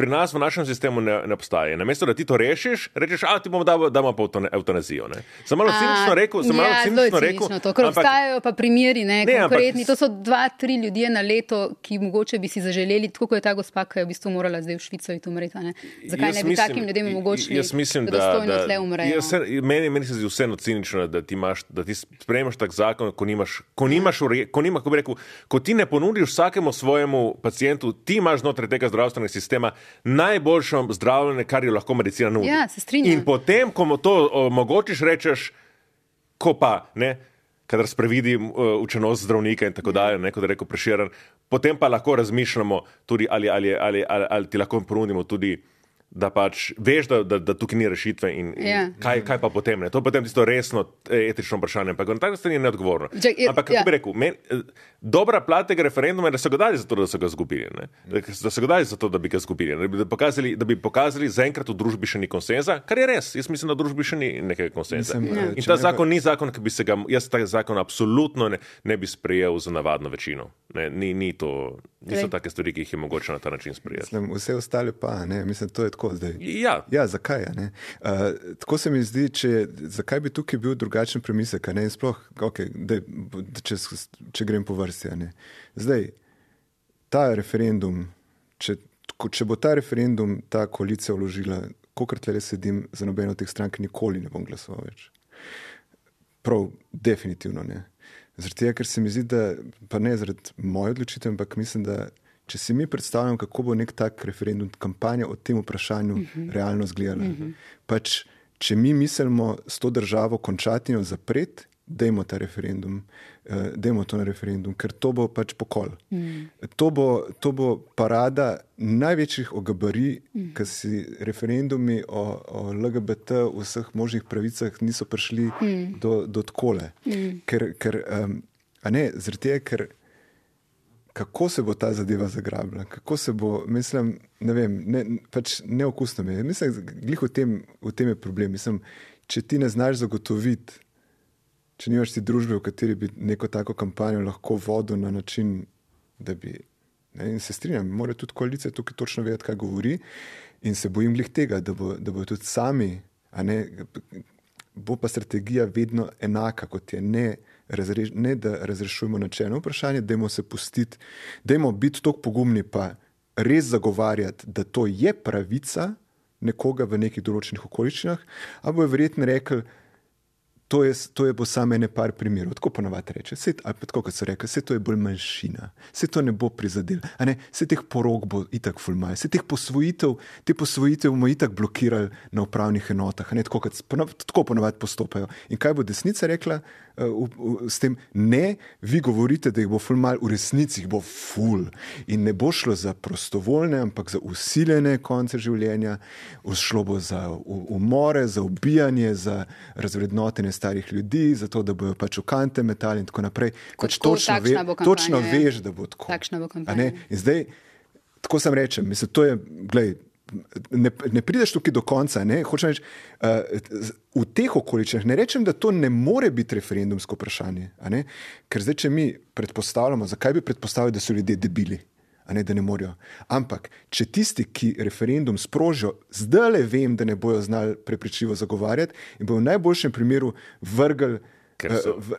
Speaker 3: pri nas v našem sistemu ne, ne obstaja. Namesto, da ti to rešiš, rečeš, a ti bomo damo, damo pa eutanazijo. Ne. Sem malo cinično rekel, sem malo
Speaker 2: ja,
Speaker 3: cinično rekel.
Speaker 2: To, ker ampak, obstajajo pa primeri, ne, ne konkretni. Ampak, to so dva, tri ljudje na leto, ki mogoče bi si zaželeli, tako kot je ta gospa, ki je v bistvu morala zdaj v Švico iti umreti. Ne. Zakaj ne bi mislim, takim ljudem omogočili,
Speaker 3: mislim,
Speaker 2: da dostojno tle umrejo?
Speaker 3: Se, meni, meni se zdi vseeno cinično, da ti, imaš, da ti sprejemaš tak zakon, ko nimaš, ko nimaš, ko nimaš, ko bi rekel, ko ti ne ponudiš vsakemu svojemu pacientu, ti imaš znotraj tega zdravstvenega sistema najboljš zdravljenje, kar jo lahko medicina nudi.
Speaker 2: Ja, se strinjam.
Speaker 3: In potem, ko mu to omogočiš, rečeš, ko pa, ne, kadar sprevidi učenost zdravnika in tako dalje, ne, kot je rekel Prešeren, potem pa lahko razmišljamo tudi, ali, ali, ali, ali, ali ti lahko ponudimo tudi, da pač veš, da, da, da tukaj ni rešitve in, in yeah. kaj, kaj pa potem, ne. To je potem tisto resno etično vprašanje, ampak na tak način je neodgovorno. Ampak, kako yeah. bi rekel, men, dobra plat tega referenduma je, da so ga dali zato, da so ga zgubili, ne. Da so ga dali zato, da bi ga zgubili, ne. Da bi pokazali, da bi pokazali, zaenkrat v družbi še ni konsenza, kar je res. Jaz mislim, da v družbi še ni nekega konsenza. Mislim, yeah. In ta zakon ni zakon, ki bi se ga, jaz ta zakon absolutno ne, ne bi sprejel za navadno večino. Ne, ni, ni to, niso okay. take stvari, ki jih je mogoče na ta način sprejeti.
Speaker 4: Mislim, vse ostale pa, ne, mislim, to je tako zdaj.
Speaker 3: Ja.
Speaker 4: Ja, zakaj, ne? Uh, tako se mi zdi, če, zakaj bi tukaj bil drugačen premislek, ne? In sploh, okay, dej, če, če grem po vrsti, ne? Zdaj, ta referendum, če, če bo ta referendum ta koalicija vložila, kolikor tle sedim za nobeno od teh strank, nikoli ne bom glasoval več. Prav, definitivno ne. Zaradi tega, ker se mi zdi, da, pa ne zaradi moje odločitve, ampak mislim, da če si mi predstavljam, kako bo nek tak referendum, kampanja o tem vprašanju uh-huh. realno izgledala. Uh-huh. Pač, če mi mislimo s to državo končati in jo zapreti, dajmo ta referendum, uh, dajmo to na referendum, ker to bo pač pokol. Uh-huh. To bo, to bo parada največjih ogabarij, uh-huh. ker si referendumi o, o L G B T v vseh možnih pravicah niso prišli uh-huh. do, do tkole. Uh-huh. Ker, ker um, a ne, zaradi tega, ker kako se bo ta zadeva zagrabila, kako se bo, mislim, ne vem, ne, pač neokusno mi je. Mislim, glih v tem, v tem je problem. Mislim, če ti ne znaš zagotoviti, če nimaš ti družbe, v kateri bi neko tako kampanjo lahko vodil na način, da bi, ne, in se strinjam, mora tudi koalicija tukaj točno vedeti, kaj govori in se bojim glih tega, da bo, da bo tudi sami, a ne, bo pa strategija vedno enaka, kot je ne Razreš, ne da razrešujemo načelno vprašanje, dajmo se pustiti, dajmo biti toliko pogumni pa res zagovarjati, da to je pravica nekoga v nekih določenih okoliščinah, a bo je verjetno rekel, to je, to je bo samo ene par primerov. Tako ponavadi reče, se, ali pa tako, kot so rekli, se to je bolj manjšina, se to ne bo prizadel, a ne, se teh porok bo itak ful manj, se teh posvojitev, te posvojitev bomo itak blokirali na upravnih enotah, a ne, tako, kot, tako ponavadi postopajo. In kaj bo desnica rekla? v, v, s tem. Ne, vi govorite, da jih bo ful mal, v resnici jih bo ful. In ne bo šlo za prostovoljne, ampak za usiljene konce življenja, šlo bo za umore, za ubijanje, za razvrednotenje starih ljudi, za to, da bojo pač v kante metali in tako naprej. Pač
Speaker 2: tako,
Speaker 4: točno, ve,
Speaker 2: kampanja,
Speaker 4: točno veš, da bo tako.
Speaker 2: Takšna bo kampanja.
Speaker 4: In zdaj, tako sem rečem, mislim, to je, glej, Ne, ne prideš tukaj do konca. Ne? Hočem reči, uh, v teh okoličnjah ne rečem, da to ne more biti referendumsko vprašanje. Ker zdaj, če mi predpostavljamo, zakaj bi predpostavili, da so ljudje debili, a ne, da ne morejo. Ampak, če tisti, ki referendum sprožijo, zdaj le vem, da ne bojo znali prepričljivo zagovarjati in bojo v najboljšem primeru vrgli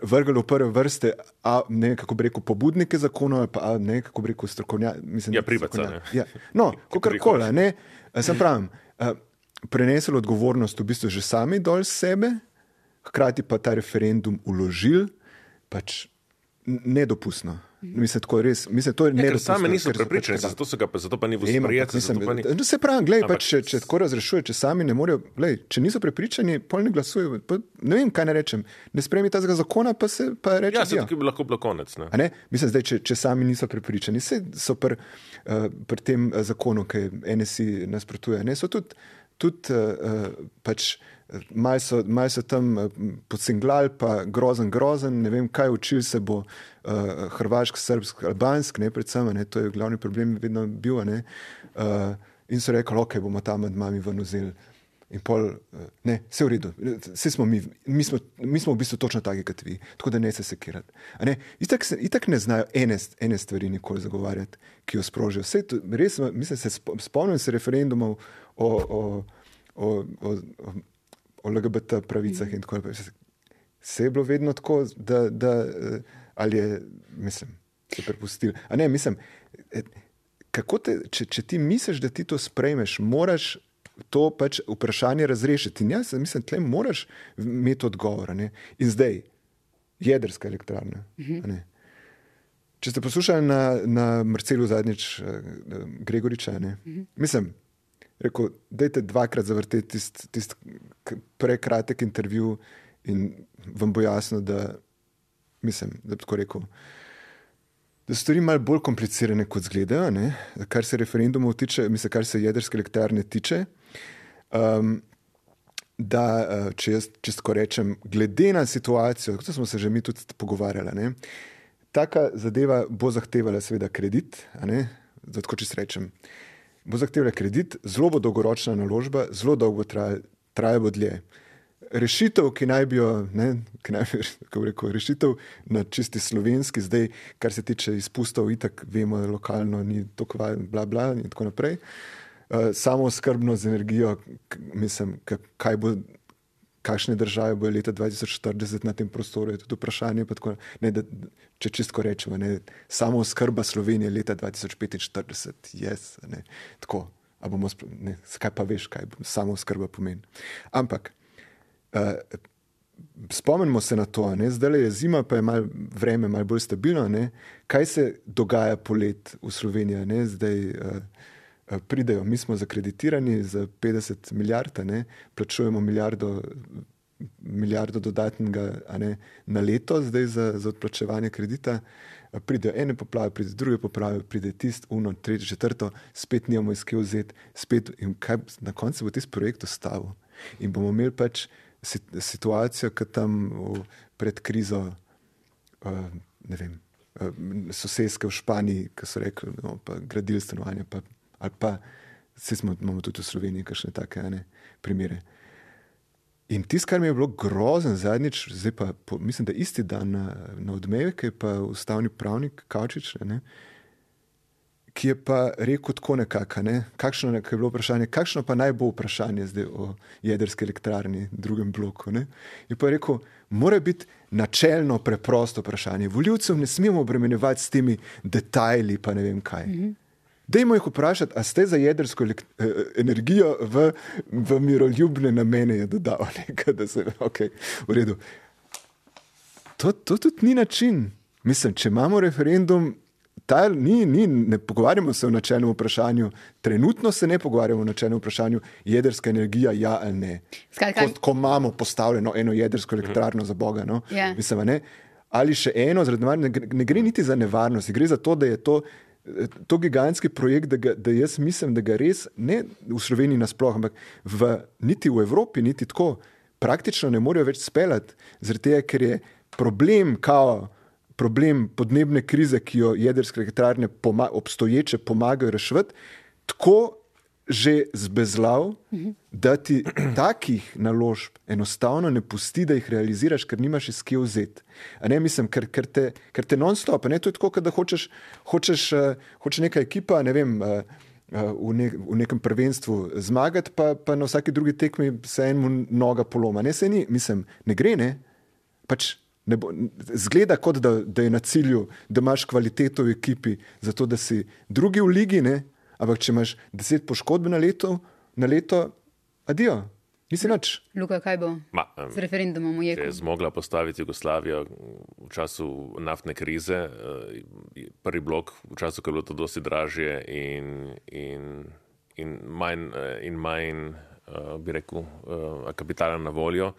Speaker 4: vrgli v prve vrste, a ne, kako bi rekel, pobudnike zakonov, pa ne, kako bi rekel, strokovnjaki.
Speaker 3: Ja, privaca, ne.
Speaker 4: Ja. No, kakorkoli, ne. Sem pravim, prenesli odgovornost v bistvu že sami dol sebe, hkrati pa ta referendum uložili, pač nedopustno. Mislim, tako res, mislim, to je
Speaker 3: ja,
Speaker 4: nedopustno.
Speaker 3: Ker sami niso prepričani, zato, so ga, zato pa ni v sprejeti.
Speaker 4: Ni... No, se pravim, glej, pač, če, če tako razrešuje, če sami ne morejo, glej, če niso prepričani, pol ne glasujejo, pa ne vem, kaj ne rečem, ne sprejmi tazga zakona, pa se pa reče.
Speaker 3: Ja, se tukaj bi lahko bilo konec. Ne?
Speaker 4: Ne? Mislim, zdaj, če, če sami niso prepričani, se so pri uh, pr tem zakonu, ki N S I nasprotuje, ne, so tudi, tudi uh, pač Malo so, mal so tam podcenglali, pa grozen, grozen, ne vem, kaj učil se bo uh, hrvašk, srbsk, albansk, ne, predvsem, ne, to je glavni problem vedno bil, ne, uh, in so rekli, ok, bomo tam med mami ven vzeli. In pol, uh, ne, vse v redu, vse smo mi, mi smo, mi smo v bistvu točno taki, kot vi, tako da ne se sekirati. A ne, itak, se, itak ne znajo ene, ene stvari nikoli zagovarjati, ki jo sprožijo. Vse to, res, mislim, se spomnim se referendumov o, o, o, o, o o L G B T pravicah in tako naprej. Se je bilo vedno tako, da, da ali je, mislim, se prepustili. A ne, mislim, kako te, če, če ti misliš, da ti to sprejmeš, moraš to pač vprašanje razrešiti. In jaz mislim, tle moraš imeti odgovor. Ne? In zdaj, jedrska elektrarna. Uh-huh. Če ste poslušali na, na Marcelu zadnjič Gregoriča, ne? Uh-huh. Mislim, rekel, dajte dvakrat zavrteti tist, tist prekratek intervju in vam bo jasno, da mislim, da bi tako rekel, da so stvari malo bolj komplicirane, kot zgledajo, ne? Kar se referendumov tiče, mislim, kar se jedrske elektrarne tiče, um, da, če jaz čisto rečem, glede na situacijo, kot smo se že mi tudi pogovarjali, ne? Taka zadeva bo zahtevala seveda kredit, a ne? Zato, čisto rečem, bo zahtevala kredit, zelo bo dolgoročna naložba, zelo dolgo traja, traja bo dlje. Rešitev, ki naj bi jo, ne, ki naj bi, kako rekel, rešitev na čisti slovenski, zdaj, kar se tiče izpustov, itak vemo, lokalno ni toliko bla bla in tako naprej. Uh, samo skrbno z energijo, k, mislim, kaj bo, kakšne države bojo leta dva tisoč štirideset na tem prostoru, je tudi vprašanje, pa tako, ne, da, če čistko rečemo, ne, samo skrba Slovenije leta dva tisoč petinštirideset, yes, ne, tako, a bomo, ne, kaj pa veš, kaj samo skrba pomeni. Ampak, uh, spomnimo se na to, ne, zdaj je zima, pa je mal vreme malo bolj stabilno, ne, kaj se dogaja polet v Sloveniji, ne, zdaj, uh, pridejo, mi smo zakreditirani za petdeset milijard, ne, plačujemo milijardo, milijardo dodatnega, a ne, na leto zdaj za, za odplačevanje kredita, pridejo ene poplave, pride druge poplave, pride tist, uno, tretje, četrto, spet nimamo iz kje vzeti, spet in kaj, na koncu bo tisti projekt ostavil. In bomo imeli pač situacijo, ki tam v, pred krizo, uh, ne vem, uh, soseske v Španiji, ki so rekli, no, pa gradili stanovanja, pa ali pa, vse smo, imamo tudi v Sloveniji kakšne take, ne, primere. In tisto, kar mi je bilo grozen zadnjič, zdaj pa, po, mislim, da isti dan na, na Odmevek je pa ustavni pravnik Kavčič, ne, ki je pa rekel tako nekako, ne, kakšno je bilo vprašanje, kakšno pa naj bo vprašanje zdaj o jedrski elektrarni, drugem bloku, ne. Je pa rekel, mora biti načelno preprosto vprašanje. Volivcev ne smemo obremenjevati s temi detajli, pa ne vem kaj. Mm-hmm. Dajmo jih vprašati, a ste za jedrsko energijo v, v miroljubne namene, je dodal nekaj, da se, ok, v redu. To, to tudi ni način. Mislim, če imamo referendum ta, ni, ni, ne pogovarjamo se o načelnem vprašanju, trenutno se ne pogovarjamo o načelnem vprašanju jedrska energija, ja ali ne.
Speaker 2: Skratka,
Speaker 4: ko, ko imamo postavljeno eno jedrsko elektrarno za Boga, no?
Speaker 2: Ja.
Speaker 4: Mislim, ne? Ali še eno, zaradi ne, ne gre niti za nevarnost, gre za to, da je to, to gigantski projekt, da, ga, da jaz mislim, da ga res ne v Sloveniji nasploh, ampak v, niti v Evropi, niti tako praktično ne morejo več speljati, zaradi tega, ker je problem, kao, problem podnebne krize, ki jo jedrske elektrarne poma, obstoječe pomagajo reševati, tako že zbezlav, da ti takih naložb enostavno ne pusti, da jih realiziraš, ker nimaš iz kje vzeti. A ne, mislim, ker, ker te, ker te non-stop, ne, to je tako, da hočeš, hočeš, uh, hoče neka ekipa, ne vem, uh, uh, v, ne, v nekem prvenstvu zmagati, pa, pa na vsaki drugi tekmi se enemu noga poloma. Ne, se ni, mislim, ne gre, ne, pač ne bo, zgleda kot, da, da je na cilju, da imaš kvaliteto v ekipi, zato da si drugi v ligi, ne, ampak če imaš deset poškodb na leto, na leto, adijo, nisi nič.
Speaker 2: Luka, kaj bo
Speaker 3: Ma, um,
Speaker 2: z referendumom v Jeku?
Speaker 3: Je zmogla postaviti Jugoslavijo v času naftne krize, prvi blok, v času, ko je bilo to dosti dražje in, in, in manj, in manj bi rekel, kapitala na voljo.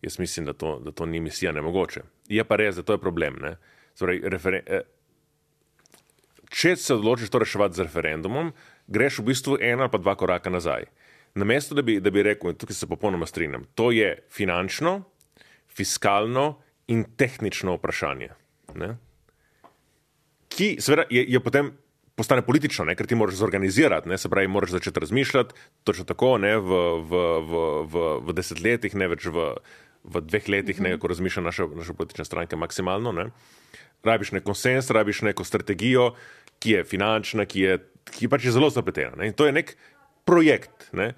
Speaker 3: Jaz mislim, da to, da to ni misija nemogoče. Je pa res, da to je problem. Ne? Zdaj, referen, če se odločiš to reševati z referendumom, greš v bistvu en ali pa dva koraka nazaj. Namesto, da bi, da bi rekel, tukaj se popolnoma strinjam, to je finančno, fiskalno in tehnično vprašanje. Ne? Ki seveda je, je potem postane politično, ne? Ker ti moraš zorganizirati, ne? Se pravi, moraš začeti razmišljati, točno tako, ne? V, v, v, v, v desetletjih, ne več v, v dveh letih, ne? Ko razmišlja naša, naša politična stranka maksimalno, ne? Rabiš nek konsens, rabiš neko strategijo, ki je finančna, ki je, ki pač je zelo zapletena. Ne? In to je nek projekt, ne?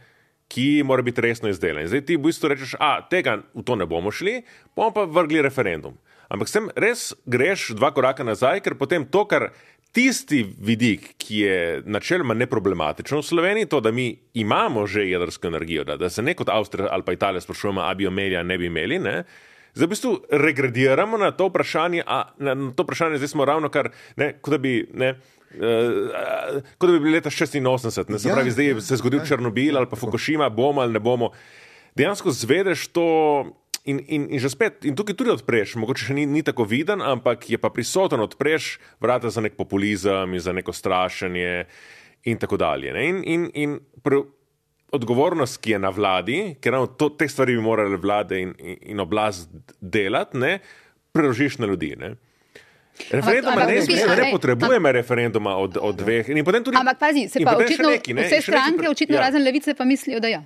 Speaker 3: Ki mora biti resno izdelan. Zdaj ti v bistvu rečeš, a tega v to ne bomo šli, bomo pa vrgli referendum. Ampak sem res greš dva koraka nazaj, ker potem to, kar tisti vidik, ki je načeloma neproblematičen v Sloveniji, to, da mi imamo že jedrsko energijo, da, da se ne kot Avstrija ali pa Italija sprašujemo, a bi jo imeli, a ne bi imeli, ne? Zdaj v bistvu regrediramo na to vprašanje, a na to vprašanje zdaj smo ravno kar, ne, kot da bi, ne, uh, kot da bi bili leta šestinosemdeset, ne, se pravi, zdaj se je zgodil Černobil ali pa Fukushima, bomo ali ne bomo. Dejansko zvedeš to in, in, in že spet, in tukaj tudi odpreš, mogoče še ni, ni tako viden, ampak je pa prisoten, odpreš vrata za nek populizem in za neko strašenje in tako dalje. Ne, in, in, in pr- odgovornost, ki je na vladi, ker ravno to, te stvari bi morali vlade in, in, in oblast delati, ne, preložiš na ljudi. Ne. Referenduma ne, ne, ne, ne potrebujeme referenduma od, od dveh. In potem tudi,
Speaker 2: ampak pazi, se pa očitno, neki, ne, vse stranke, neki, očitno ja. Razen Levice, pa mislijo, da ja.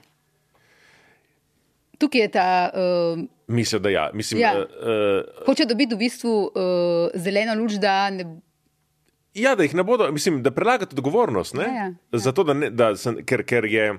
Speaker 2: Tukaj je ta... Uh,
Speaker 3: Mislijo, da ja. Mislim,
Speaker 2: ja.
Speaker 3: Uh,
Speaker 2: Hoče dobiti v bistvu uh, zeleno luč, da ne...
Speaker 3: Ja, da jih ne bodo, mislim, da prelagati odgovornost, ne? Ja, ja, ja. Zato, da ne, da sem, ker, ker je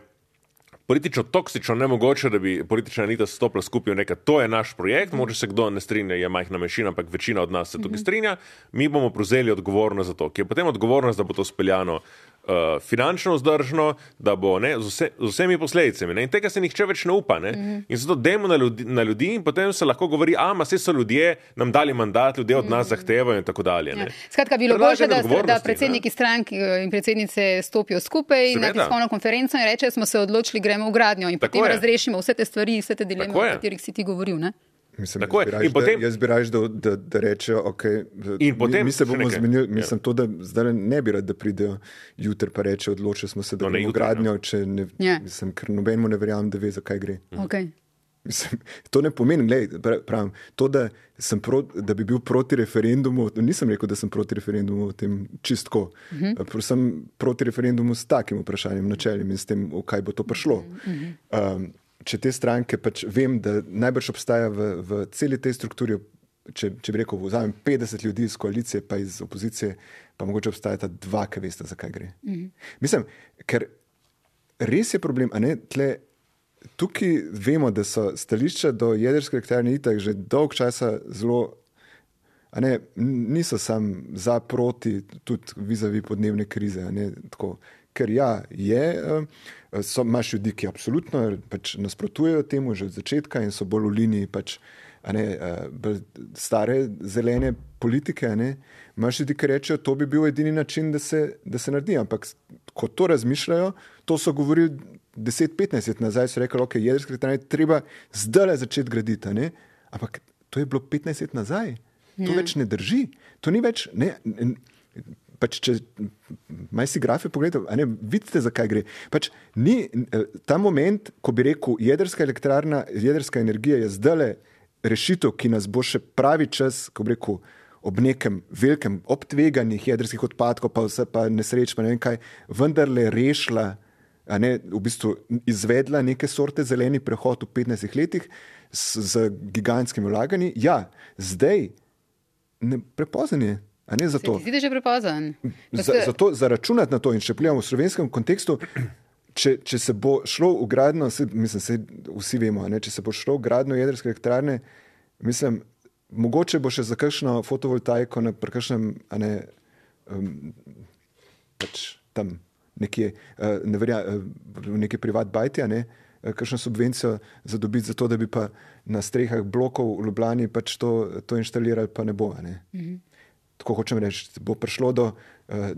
Speaker 3: politično toksično nemogoče, da bi politična elita stopila skupaj v nekaj, to je naš projekt, mogoče se kdo ne strinja, je majhna manjšina, ampak večina od nas se tukaj strinja, mi bomo prevzeli odgovornost za to, ki je potem odgovornost, da bo to speljano uh, finančno vzdržno, da bo ne, z, vse, z vsemi posledicami. Ne? In tega se nihče več ne upa. Ne? Mm-hmm. In zato dajmo na ljudi, na ljudi in potem se lahko govori, a, ma, saj so ljudje nam dali mandat, ljudje od nas mm-hmm. zahtevajo in tako dalje. Ne?
Speaker 2: Ja. Skratka, bilo boljše, da, da predsedniki ne? strank in predsednice stopijo skupaj Seveda. na tiskovno konferenco in rečejo, smo se odločili, gremo v gradnjo in tako potem je. razrešimo vse te stvari, vse te dileme, o katerih si ti govoril. Ne?
Speaker 4: Mislim, jaz, potem... da, jaz bi raž, da, da, da rečejo, okay, mi, mi se bomo zmenili, mislim ja. to, da zdaj ne bi rad, da pridejo jutri pa reče, odločili smo se, da bomo no, gradnjo, če ne, ja. mislim, ker nobenemu ne verjamem, da ve, za kaj gre.
Speaker 2: Okay.
Speaker 4: Mislim, to ne pomeni, glej, pravim, to, da, sem pro, da bi bil proti referendumu, nisem rekel, da sem proti referendumu o tem čistko, uh-huh. sem proti referendumu s takim vprašanjem, načeljem in s tem, v kaj bo to prišlo. Uh-huh. Um, če te stranke, pač vem, da najbrž obstaja v, v celi tej strukturi, če, če bi rekel, vzamem petdeset ljudi iz koalicije pa iz opozicije, pa mogoče obstajata dva, ki veste, za kaj gre. Mm-hmm. Mislim, ker res je problem, a ne, tle, tukaj vemo, da so stališča do jedrske elektrarne itak že dolg časa zelo, a ne, niso sam za proti, tudi vizavi podnebne krize, a ne, tako. Ker ja, je, so, imaš ljudi, ki absolutno pač nasprotujejo temu že od začetka in so bolj v liniji pač a ne, uh, stare zelene politike, a ne, imaš ljudi, ki rečejo, to bi bil edini način, da se, da se naredi. Ampak ko to razmišljajo, to so govorili deset petnajst let nazaj, so rekli, ok, jedrske elektrarne treba zdaj začeti graditi, a ne. Ampak to je bilo petnajst let nazaj. To ja. več ne drži. To ni več, ne, ne pač če maj si grafe pogledate, a ne, vidite, zakaj gre. Pač ni ta moment, ko bi rekel, jedrska elektrarna, jedrska energija je zdajle rešitev, ki nas bo še pravi čas, ko bi rekel, ob nekem velikem, ob tveganjih jedrskih odpadkov, pa vse pa nesreč, pa ne vem kaj, vendarle rešila, a ne, v bistvu izvedla neke sorte zeleni prehod v petnajstih letih z, z gigantskimi vlaganji. Ja, zdaj ne, prepozen je. A ne zato.
Speaker 2: Se ti zdi, že prepozen?
Speaker 4: Za, zato zaračunati na to in če pogledamo v slovenskem kontekstu, če, če se bo šlo v gradno, se, mislim, se vsi vemo, ne, če se bo šlo v gradno jedrske elektrarne, mislim, mogoče bo še za kakšno fotovoltaiko na kakšnem, a ne, um, pač tam nekje, uh, ne verja, uh, v neki privat bajti, a ne, uh, kakšno subvencijo zadobiti za to, da bi pa na strehah blokov v Ljubljani pač to, to inštalirali, pa ne bo, a ne. Mhm. Tako hočem reči, bo prišlo do,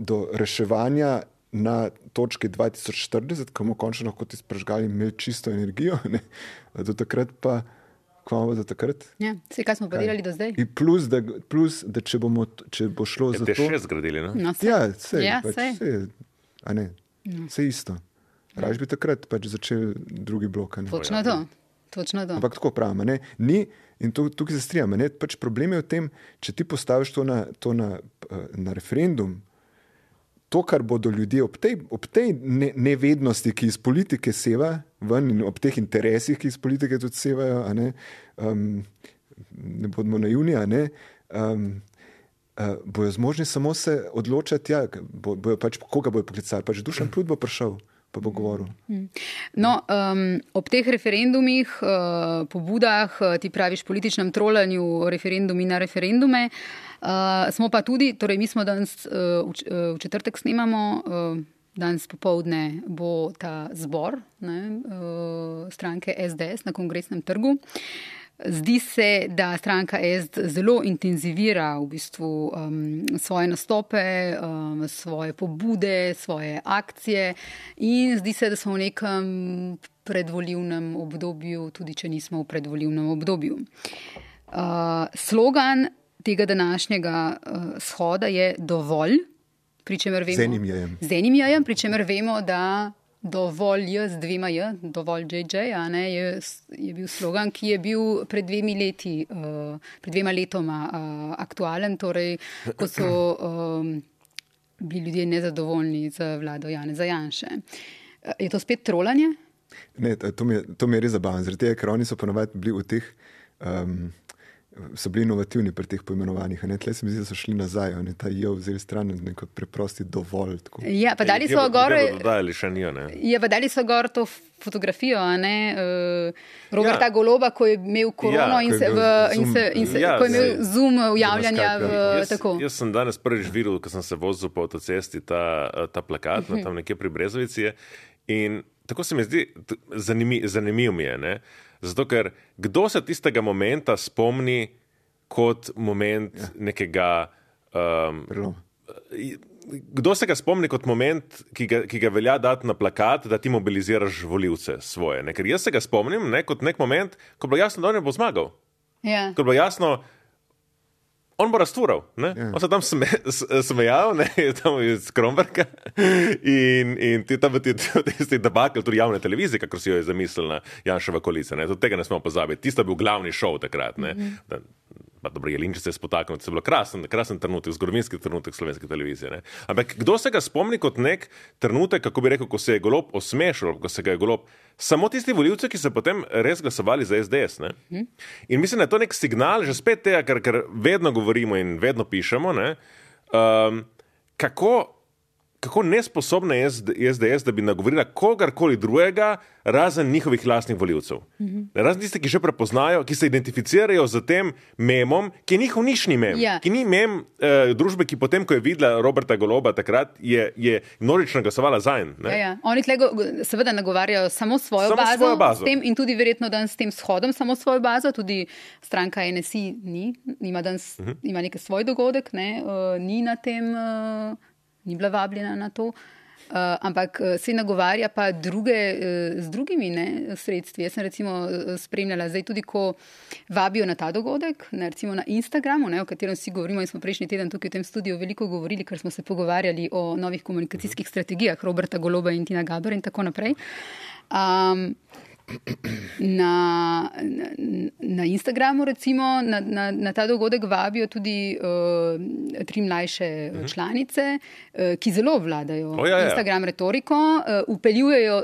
Speaker 4: do reševanja na točki dva tisoč štirideset, ko bomo končno lahko ti sprežgali imeli čisto energijo, ne? Do takrat pa, ko bomo do takrat?
Speaker 2: Ja, vse, kaj smo pa delali do zdaj?
Speaker 4: In plus, da, plus, da če, bomo, če bo šlo
Speaker 3: ja,
Speaker 4: za to...
Speaker 3: Te še zgradili, ne?
Speaker 2: No,
Speaker 4: ja, vse,
Speaker 2: ja,
Speaker 4: pač, vse, a ne, no. Vse isto. Raž bi takrat pač začeli drugi blok.
Speaker 2: Točno to. Točno to.
Speaker 4: Ampak tako pravim, ne? Ni, in to, tukaj se strijam, ne? Pač problem je v tem, če ti postaviš to na, to na, na referendum, to, kar bodo ljudje ob tej, ob tej ne, nevednosti, ki iz politike seva ven in ob teh interesih, ki iz politike tudi sevajo, a ne, um, ne bodimo naivni, a ne, um, uh, bojo zmožni samo se odločati, ja, bo, bojo pač, koga bojo poklicali, pač Dušan Plut bo prišel. Pa bo govoril.
Speaker 2: No, um, ob teh referendumih, uh, pobudah, ti praviš političnem trolanju referendumi na referendume, uh, smo pa tudi, torej mi smo danes uh, v, v četrtek snemamo, uh, danes popoldne bo ta zbor, ne, uh, stranke S D S na Kongresnem trgu. Zdi se, da stranka S D S zelo intenzivira v bistvu um, svoje nastope, um, svoje pobude, svoje akcije in zdi se, da smo v nekem predvolilnem obdobju, tudi če nismo v predvolilnem obdobju. Uh, slogan tega današnjega uh, shoda je dovolj, pri čemer vemo,
Speaker 4: z enim jajem.
Speaker 2: Z enim jajem, pri čemer vemo, da dovolj je z dvema je, dovolj J J, a ne, je, je bil slogan, ki je bil pred dvemi leti, uh, pred dvema letoma uh, aktualen, torej, ko so um, bili ljudje nezadovoljni z vlado Janeza Janše. Uh, je to spet trolanje?
Speaker 4: Ne, to mi je, to mi je res zabavno, zaradi tega, ker oni so ponovadi bili v teh, um, so bili inovativni pri teh poimenovanjih. Tle se mi zdi, da so šli nazaj, ne, ta jo vzeli stran, neko preprosti dovolj. Tako.
Speaker 2: Ja, pa dali so gor...
Speaker 3: Dodajali še nijo, ne?
Speaker 2: Ja, pa dali so gor to fotografijo, a ne, uh, Roberta ja. Goloba, ko je imel korono ja, in, se v, in, se, in se, ja, ko je imel zoom javljanja v
Speaker 3: jaz,
Speaker 2: tako.
Speaker 3: Jaz sem danes prvič videl, ko sem se vozil po avtocesti, ta, ta plakat, uh-huh. tam nekje pri Brezovici je, in tako se mi zdi, zanimiv, zanimiv mi je, ne? Zato, ker kdo se tistega momenta spomni kot moment ja. nekega... Um, kdo se ga spomni kot moment, ki ga, ki ga velja dati na plakat, da ti mobiliziraš volivce svoje? Ne? Ker jaz se ga spomnim ne, kot nek moment, ko bilo jasno, da on ne bo zmagal.
Speaker 2: Ja.
Speaker 3: Ko bilo jasno, on bo raztvural. Ja. On se tam sme, smejal, ne, tam iz Kromberga in, in ti tam ti tisti debakel, tudi javne televizije, kako si jo je zamislila Janševa koalicija. Tudi tega ne smemo pozabiti. Tisto je bil glavni šov takrat. Ne. Mm-hmm. Da, pa dobro, Jelinčič se je spotaknil, to je bilo krasen, krasen trenutek, zgodovinski trenutek slovenske televizije. Ne. Ampak kdo se ga spomni kot nek trenutek, kako bi rekel, ko se je Golob osmešil, ko se ga je Golob, samo tisti volivci, ki so potem res glasovali za S D S. Ne. Mm. In mislim, da je to nek signal, že spet tega, ker, ker vedno govorimo in vedno pišemo, ne, um, kako, kako nesposobna je S D S, da bi nagovorila kogarkoli drugega, razen njihovih lastnih voljivcev. Mm-hmm. Razen tiste, ki že prepoznajo, ki se identificirajo z tem memom, ki je njihov nišni mem,
Speaker 2: ja.
Speaker 3: ki ni mem uh, družbe, ki potem, ko je videla Roberta Goloba takrat, je, je množično glasovala zanj.
Speaker 2: Ja, ja. Oni tlego seveda nagovarjajo samo svojo
Speaker 3: samo
Speaker 2: bazo,
Speaker 3: svojo bazo.
Speaker 2: S tem in tudi verjetno danes s tem shodom samo svojo bazo, tudi stranka N S I ni, ima, danes, uh-huh. ima nekaj svoj dogodek, ne, uh, ni na tem, uh, ni bila vabljena na to. Uh, ampak se nagovarja pa druge uh, z drugimi ne, sredstvi. Jaz sem recimo spremljala zdaj tudi, ko vabijo na ta dogodek, ne, recimo na Instagramu, ne, o katerem vsi govorimo in smo prejšnji teden tukaj v tem studiu veliko govorili, ker smo se pogovarjali o novih komunikacijskih strategijah Roberta Goloba in Tina Gaber in tako naprej. Um, Na, na, na Instagramu recimo na, na, na ta dogodek vabijo tudi uh, tri mlajše uh-huh. članice, uh, ki zelo vladajo
Speaker 3: oh, ja, ja. Instagram
Speaker 2: retoriko, uh, upeljujejo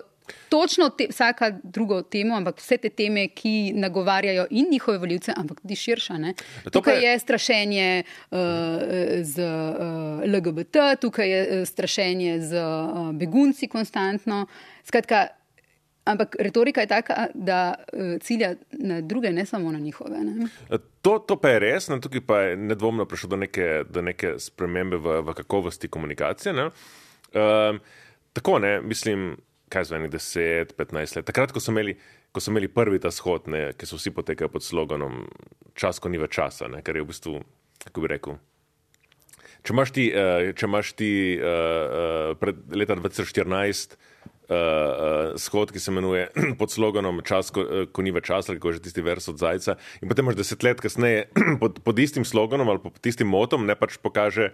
Speaker 2: točno te, vsaka drugo temo, ampak vse te teme, ki nagovarjajo in njihove volivce, ampak tudi širša. Ne? Tukaj je strašenje uh, z uh, L G B T, tukaj je strašenje z uh, begunci konstantno. Skratka, ampak retorika je taka, da uh, cilja na druge, ne samo na njihove. Ne?
Speaker 3: To, to pa je res, ne? Tukaj pa je nedvomno prišlo do neke, do neke spremembe v, v kakovosti komunikacije. Ne? Um, tako, ne, mislim, kaj zveni, deset, petnajst let. Takrat, ko so imeli, ko so imeli prvi ta shod, ne, ki so vsi potekajo pod sloganom čas, ko ni več časa, ne? Kar je v bistvu, kako bi rekel, če imaš ti, uh, če imaš ti uh, uh, pred leta dva tisoč štirinajst Uh, uh, shod, ki se imenuje pod sloganom čas, ko, uh, ko ni več časa, kako je že tisti vers od Zajca. In potem imaš deset let kasneje pod, pod istim sloganom ali pod istim motom, ne pač pokaže,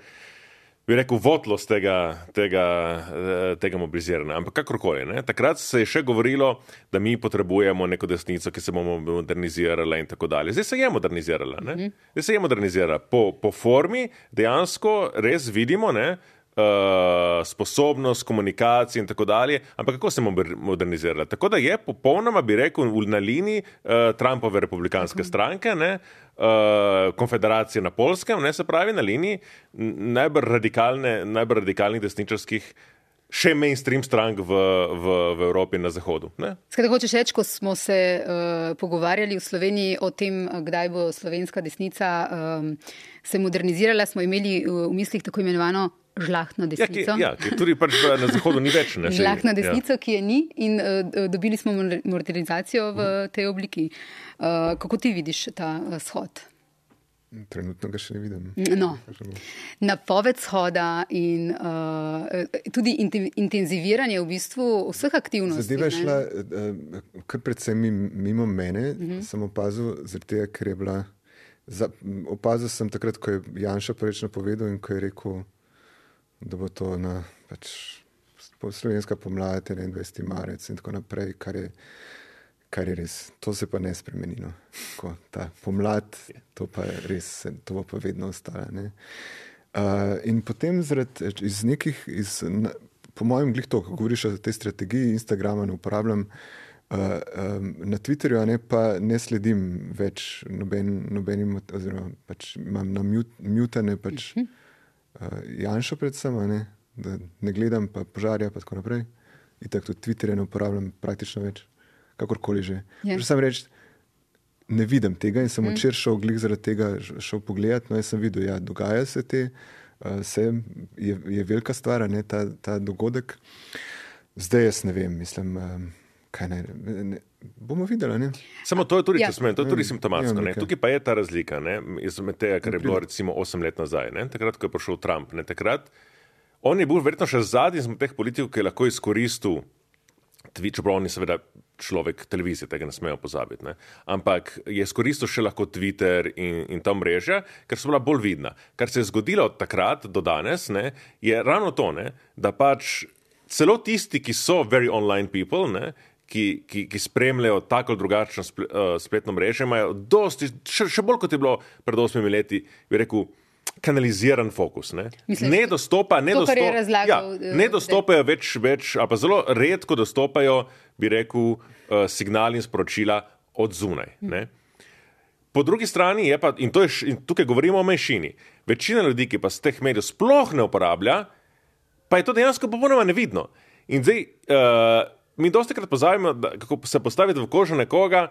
Speaker 3: bi rekel, votlost tega, tega, uh, tega mobiliziranja. Ampak kakorkoli, ne. Takrat se je še govorilo, da mi potrebujemo neko desnico, ki se bomo modernizirala in tako dalje. Zdaj se je modernizirala. Ne. Zdaj se je modernizirala. Po, po formi dejansko res vidimo, ne, Uh, sposobnost, komunikacije in tako dalje, ampak kako se modernizirala? Tako da je popolnoma, bi rekel, na liniji uh, Trumpove republikanske okay. stranke, ne, uh, konfederacije na Poljskem, ne, se pravi na liniji najbolj radikalne, najbolj radikalnih desničarskih še mainstream strank v, v, v Evropi in na Zahodu.
Speaker 2: Skratka, hočeš reči, ko smo se uh, pogovarjali v Sloveniji o tem, kdaj bo slovenska desnica um, se modernizirala, smo imeli v mislih tako imenovano žlahtno desnico.
Speaker 3: Ja, ki, ja, ki tudi pač na Zahodu ni več. Ne,
Speaker 2: žlahtno desnico, ja. Ki je ni in uh, dobili smo modernizacijo v tej obliki. Uh, kako ti vidiš ta uh, shod?
Speaker 4: Trenutno ga še ne vidim.
Speaker 2: No, napoved shoda in uh, tudi intenziviranje v bistvu vseh aktivnosti.
Speaker 4: Zadeva je šla uh, kar predvsem mimo mene, uh-huh. sem opazil, zaradi tega, ker je bila, za, opazil sem takrat, ko je Janša porečno povedal in ko je rekel, da bo to na pač, slovenska pomlad, enaindvajseti marec in tako naprej, kar je, kar je res. To se pa ne spremeni. No. Ko, ta pomlad, to pa je res, to bo pa vedno ostala. Ne. Uh, in potem zaradi iz nekih, iz, na, po mojem glih to, ko govoriš o tej strategiji, Instagrama ne uporabljam, uh, um, na Twitterju ne, pa ne sledim več noben, nobenim, oziroma pač imam na mutane pač Uh, Janšo predvsem, ne, da ne gledam pa požarja pa tako naprej. In tako tudi Twitterja ne uporabljam praktično več, kakorkoli že. Yeah. Že sem reči, ne vidim tega in sem mm. včeraj šel glih zaradi tega šel pogledat, no jaz sem videl, ja, dogaja se te, uh, se, je, je velika stvar, ne, ta, ta dogodek. Zdaj jaz ne vem, mislim, um, kaj naj, ne, bomo videli, ne?
Speaker 3: Samo to je tudi, ja. Smen, to je tudi simptomatsko, ne? Tukaj pa je ta razlika, ne? Izmed tega, kar je bilo recimo osem let nazaj, ne? Takrat, ko je prišel Trump, ne? Takrat, on je bil verjetno še zadnji izmed teh politikov, ki je lahko izkoristil Twitch, čeprav on je seveda človek televizije, tega ne smejo pozabiti, ne? Ampak je izkoristil še lahko Twitter in, in ta mreža, ker so bila bolj vidna. Kar se je zgodilo od takrat do danes, ne? Je ravno to, ne? Da pač celo tisti, ki so very online people, ne? Ki, ki, ki spremljajo tako drugačno spletno mrežo, imajo dosti, še, še bolj kot je bilo pred osmimi leti, bi rekel, kanaliziran fokus. Ne, Misliš, ne dostopa, ne,
Speaker 2: to,
Speaker 3: dostop,
Speaker 2: razlagal,
Speaker 3: ja, ne dostopajo več, več, ali pa zelo redko dostopajo, bi rekel, signali in sporočila od zunaj. Ne. Po drugi strani je pa, in, to je, in tukaj govorimo o manjšini, večina ljudi, ki pa z teh medijev sploh ne uporablja, pa je to dejansko popolnoma nevidno. In zdaj, uh, mi dostikrat pozabimo, da, kako se postaviti v kožo nekoga,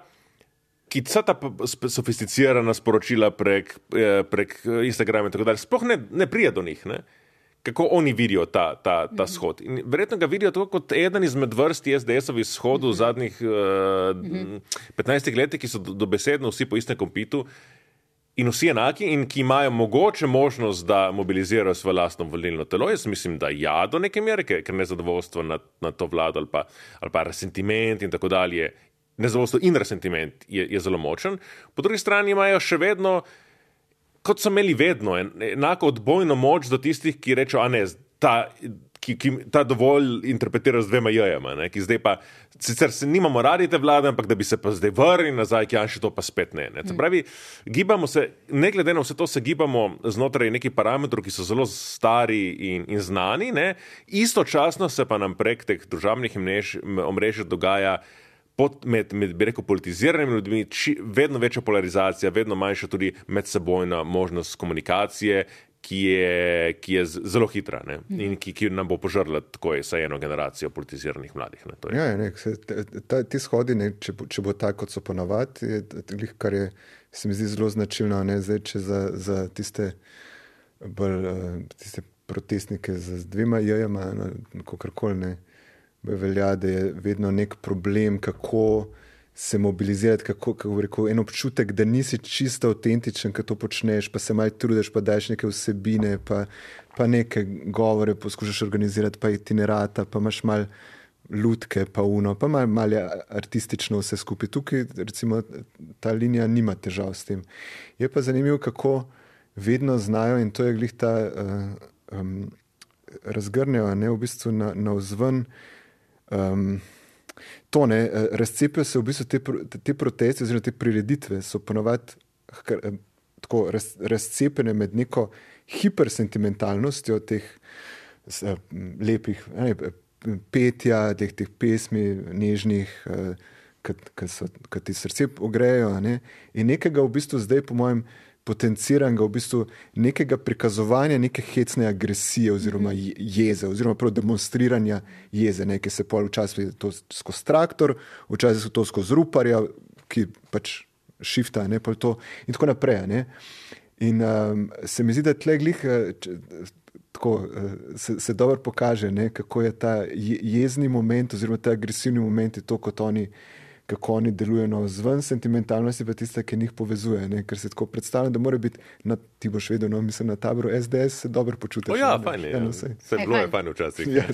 Speaker 3: ki vsa ta sofisticirana sporočila prek, prek Instagrama in tako dalje, sploh ne, ne prija do njih, ne? Kako oni vidijo ta, ta, ta shod. In verjetno ga vidijo tako kot eden izmed vrsti es de esovih shodov v zadnjih uh, petnajstih letih, ki so dobesedno vsi po istem kompitu in vsi enaki in ki imajo mogoče možnost, da mobilizirajo svoje lastno volilno telo. Jaz mislim, da ja, do neke mere, ker nezadovoljstvo na, na to vlado ali pa, ali pa resentiment in tako dalje, nezadovoljstvo in resentiment je, je zelo močen. Po drugi strani imajo še vedno, kot so imeli vedno, en, enako odbojno moč do tistih, ki rečejo, a ne, ta, ki, ki, ta dovolj interpretira z dvema jajama, ne, ki zdaj pa, sicer se nimamo radi te vlade, ampak da bi se pa zdaj vrnili nazaj, ki Janši to pa spet ne. ne. Se pravi, gibamo se, ne glede na vse to, se gibamo znotraj nekih parametrov, ki so zelo stari in, in znani, ne. Istočasno se pa nam prek teh družabnih omrežij dogaja Pod, med, med, bi rekel, politiziranimi ljudmi, či, vedno večja polarizacija, vedno manjša tudi medsebojna možnost komunikacije, ki je, ki je zelo hitra, ne? In ki, ki nam bo požrla tako je saj eno generacijo politiziranih mladih. Ne? To je.
Speaker 4: Ja, ne, se, ta, ti shodi, ne, če, če bo tako, kot so ponavadi, je, kar je, se mi zdi zelo značilno, ne, zdaj, če za, za tiste, bolj, tiste protestnike z dvema jajama, kakorkoli ne, velja, da je vedno nek problem, kako se mobilizirati, kako, kako rekel, en občutek, da nisi čisto avtentičen, ko to počneš, pa se malo trudiš, pa daš neke vsebine, pa, pa neke govore poskušaš organizirati, pa itinerata, pa imaš malo lutke, pa uno, pa malo mal artistično vse skupaj. Tukaj, recimo, ta linija nima težav s tem. Je pa zanimivo, kako vedno znajo, in to je glih ta uh, um, razgrnejo, ne, v bistvu na, na vzven. Um, to ne, razcepijo se v bistvu te, te proteste oziroma te prireditve so ponovadi tako raz, razcepene med neko hipersentimentalnostjo teh uh, lepih ne, petja, teh, teh pesmi nežnih, uh, ki ti srce ogrejo, ne, in nekega v bistvu zdaj po mojem potenciranega v bistvu nekega prikazovanja neke hecne agresije oziroma jeze, oziroma prav demonstriranja jeze, ne, ki se pol včasih to skozi traktor, včasih to skozi ruparja, ki pač šifta, ne, pol to in tako naprej, ne. In um, se mi zdi, da tle glih če, tako se, se dobro pokaže, ne, kako je ta jezni moment oziroma ta agresivni moment je to, kot oni kako oni delujejo na vzven, sentimentalnost je pa tista, ki njih povezuje, ne? Ker se tako predstavljam, da mora biti, na, ti boš vedel, no, mislim, na taboru es de es se dobro počutiš.
Speaker 3: O ja, fajn je, ja, se je bilo je fajn včasih.
Speaker 2: Ja,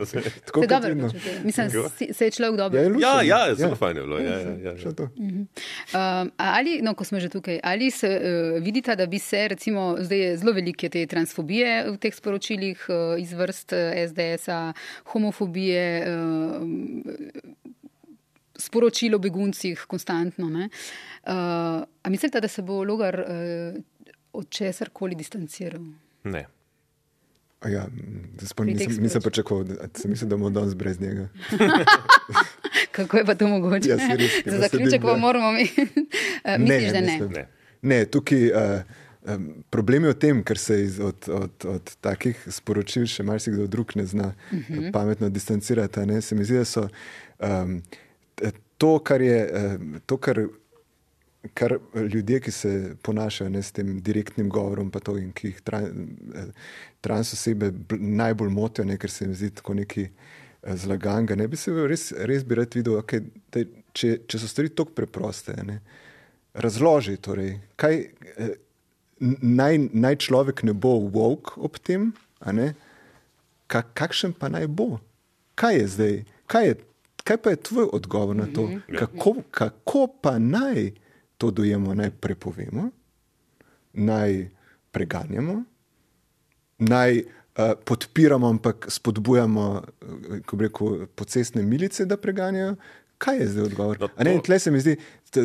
Speaker 2: se je dobro počutil. Mislim, se je človek dobro.
Speaker 3: Ja, ja, zelo fajn je bilo. Ja, ja, ja, ja.
Speaker 4: To.
Speaker 2: Um, ali, no, ko smo že tukaj, ali se uh, vidita, da bi se, recimo, zdaj je zelo velike te transfobije v teh sporočilih uh, iz vrst es de esa, homofobije, uh, sporočilo o beguncih konstantno. Ne? Uh, a mislite, da se bo Logar uh, od česarkoli distanciral?
Speaker 3: Ne.
Speaker 4: A ja, spon, nisem, nisem pričakoval, da sem mislil, da bomo danes brez njega.
Speaker 2: Kako je pa to mogoče?
Speaker 4: Ja, si res,
Speaker 2: za zaključek pa moramo mi. uh, misliš,
Speaker 4: ne,
Speaker 2: da ne?
Speaker 3: Ne,
Speaker 4: ne tukaj uh, um, problem je v tem, ker se iz, od, od, od takih sporočil še marsikdo drug ne zna uh -huh. pametno distancirati. Ne? Se mi zdi, da so um, to, kar je to, kar, kar ljudje, ki se ponašajo ne, s tem direktnim govorom, pa to, in ki jih tran, trans osebe najbolj motijo, ne, ker se jim zdi tako neki zlaganga, ne bi se res, res bi rad videl, okay, da, če, če so stvari tako preproste, ne, razloži torej, kaj naj, naj človek ne bo woke ob tem, a ne, Ka, kakšen pa naj bo? Kaj je zdaj? Kaj je Kaj pa je tvoj odgovor na to? Kako, kako pa naj to dojemo? Naj prepovemo? Naj preganjamo? Naj uh, podpiramo, ampak spodbujamo, uh, ko bi rekel, pocestne milice, da preganjajo? Kaj je zdaj odgovor? No, to... A ne, tle se mi zdi,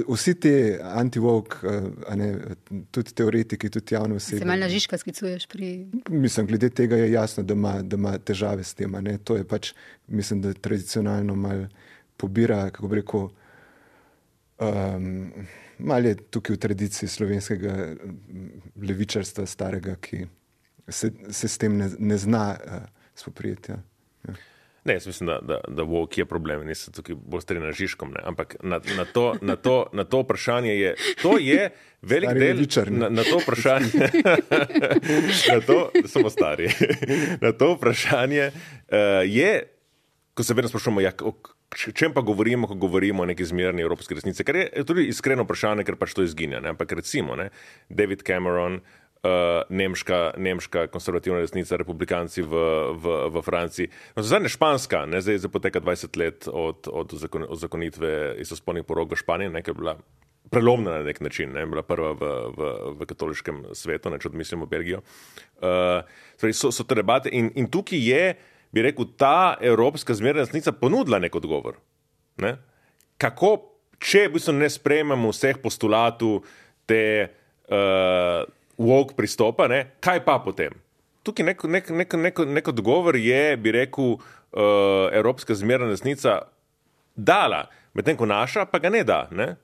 Speaker 4: vsi ti anti-woke, uh, tudi teoretiki, tudi javne osebe.
Speaker 2: Se malo na Žižka sklicuješ pri...
Speaker 4: Mislim, glede tega je jasno, da ima, da ima težave s tem. Ne? To je pač, mislim, da tradicionalno malo pobira, kako bi rekel, um, malo je tukaj v tradiciji slovenskega levičarstva starega, ki se, se s tem ne, ne zna uh, spoprijeti. Ja. Ja.
Speaker 3: Ne, jaz mislim, da, da, da woke je problem, nisem tukaj bolj strinjal na Žižkom, ne. Ampak na, na, to, na, to, na to vprašanje je, to je velik
Speaker 4: stari
Speaker 3: del,
Speaker 4: levičar,
Speaker 3: na, na to vprašanje, na to, samo stari, na to vprašanje uh, je, ko se vedno sprašujemo, ja, o čem pa govorimo, ko govorimo o neki zmerni evropski resnici, kar je tudi iskreno vprašanje, ker pač to izginja, ne. Ampak recimo, ne, David Cameron, Uh, nemška, nemška konservativna resnica, republikanci v, v, v Franciji. No, zadnje španska, ne, zdaj, zdaj poteka dvajset let od, od uzakonitve istospolnih porok v Španiji, ne, ki je bila prelomna na nek način, ne, bila prva v, v, v katoliškem svetu, ne, če odmislimo Belgijo. Uh, so, so te debate in, in tukaj je, bi rekel, ta evropska zmerna resnica ponudila nek odgovor. Ne? Kako, če v bistvu ne sprejmemo vseh postulatov te uh, woke pristopa, ne? Kaj pa potem? Tukaj nek, nek, nek, nek, nek odgovor je, bi rekel, uh, evropska zmerna resnica dala, medtem ko naša pa ga ne da, ne?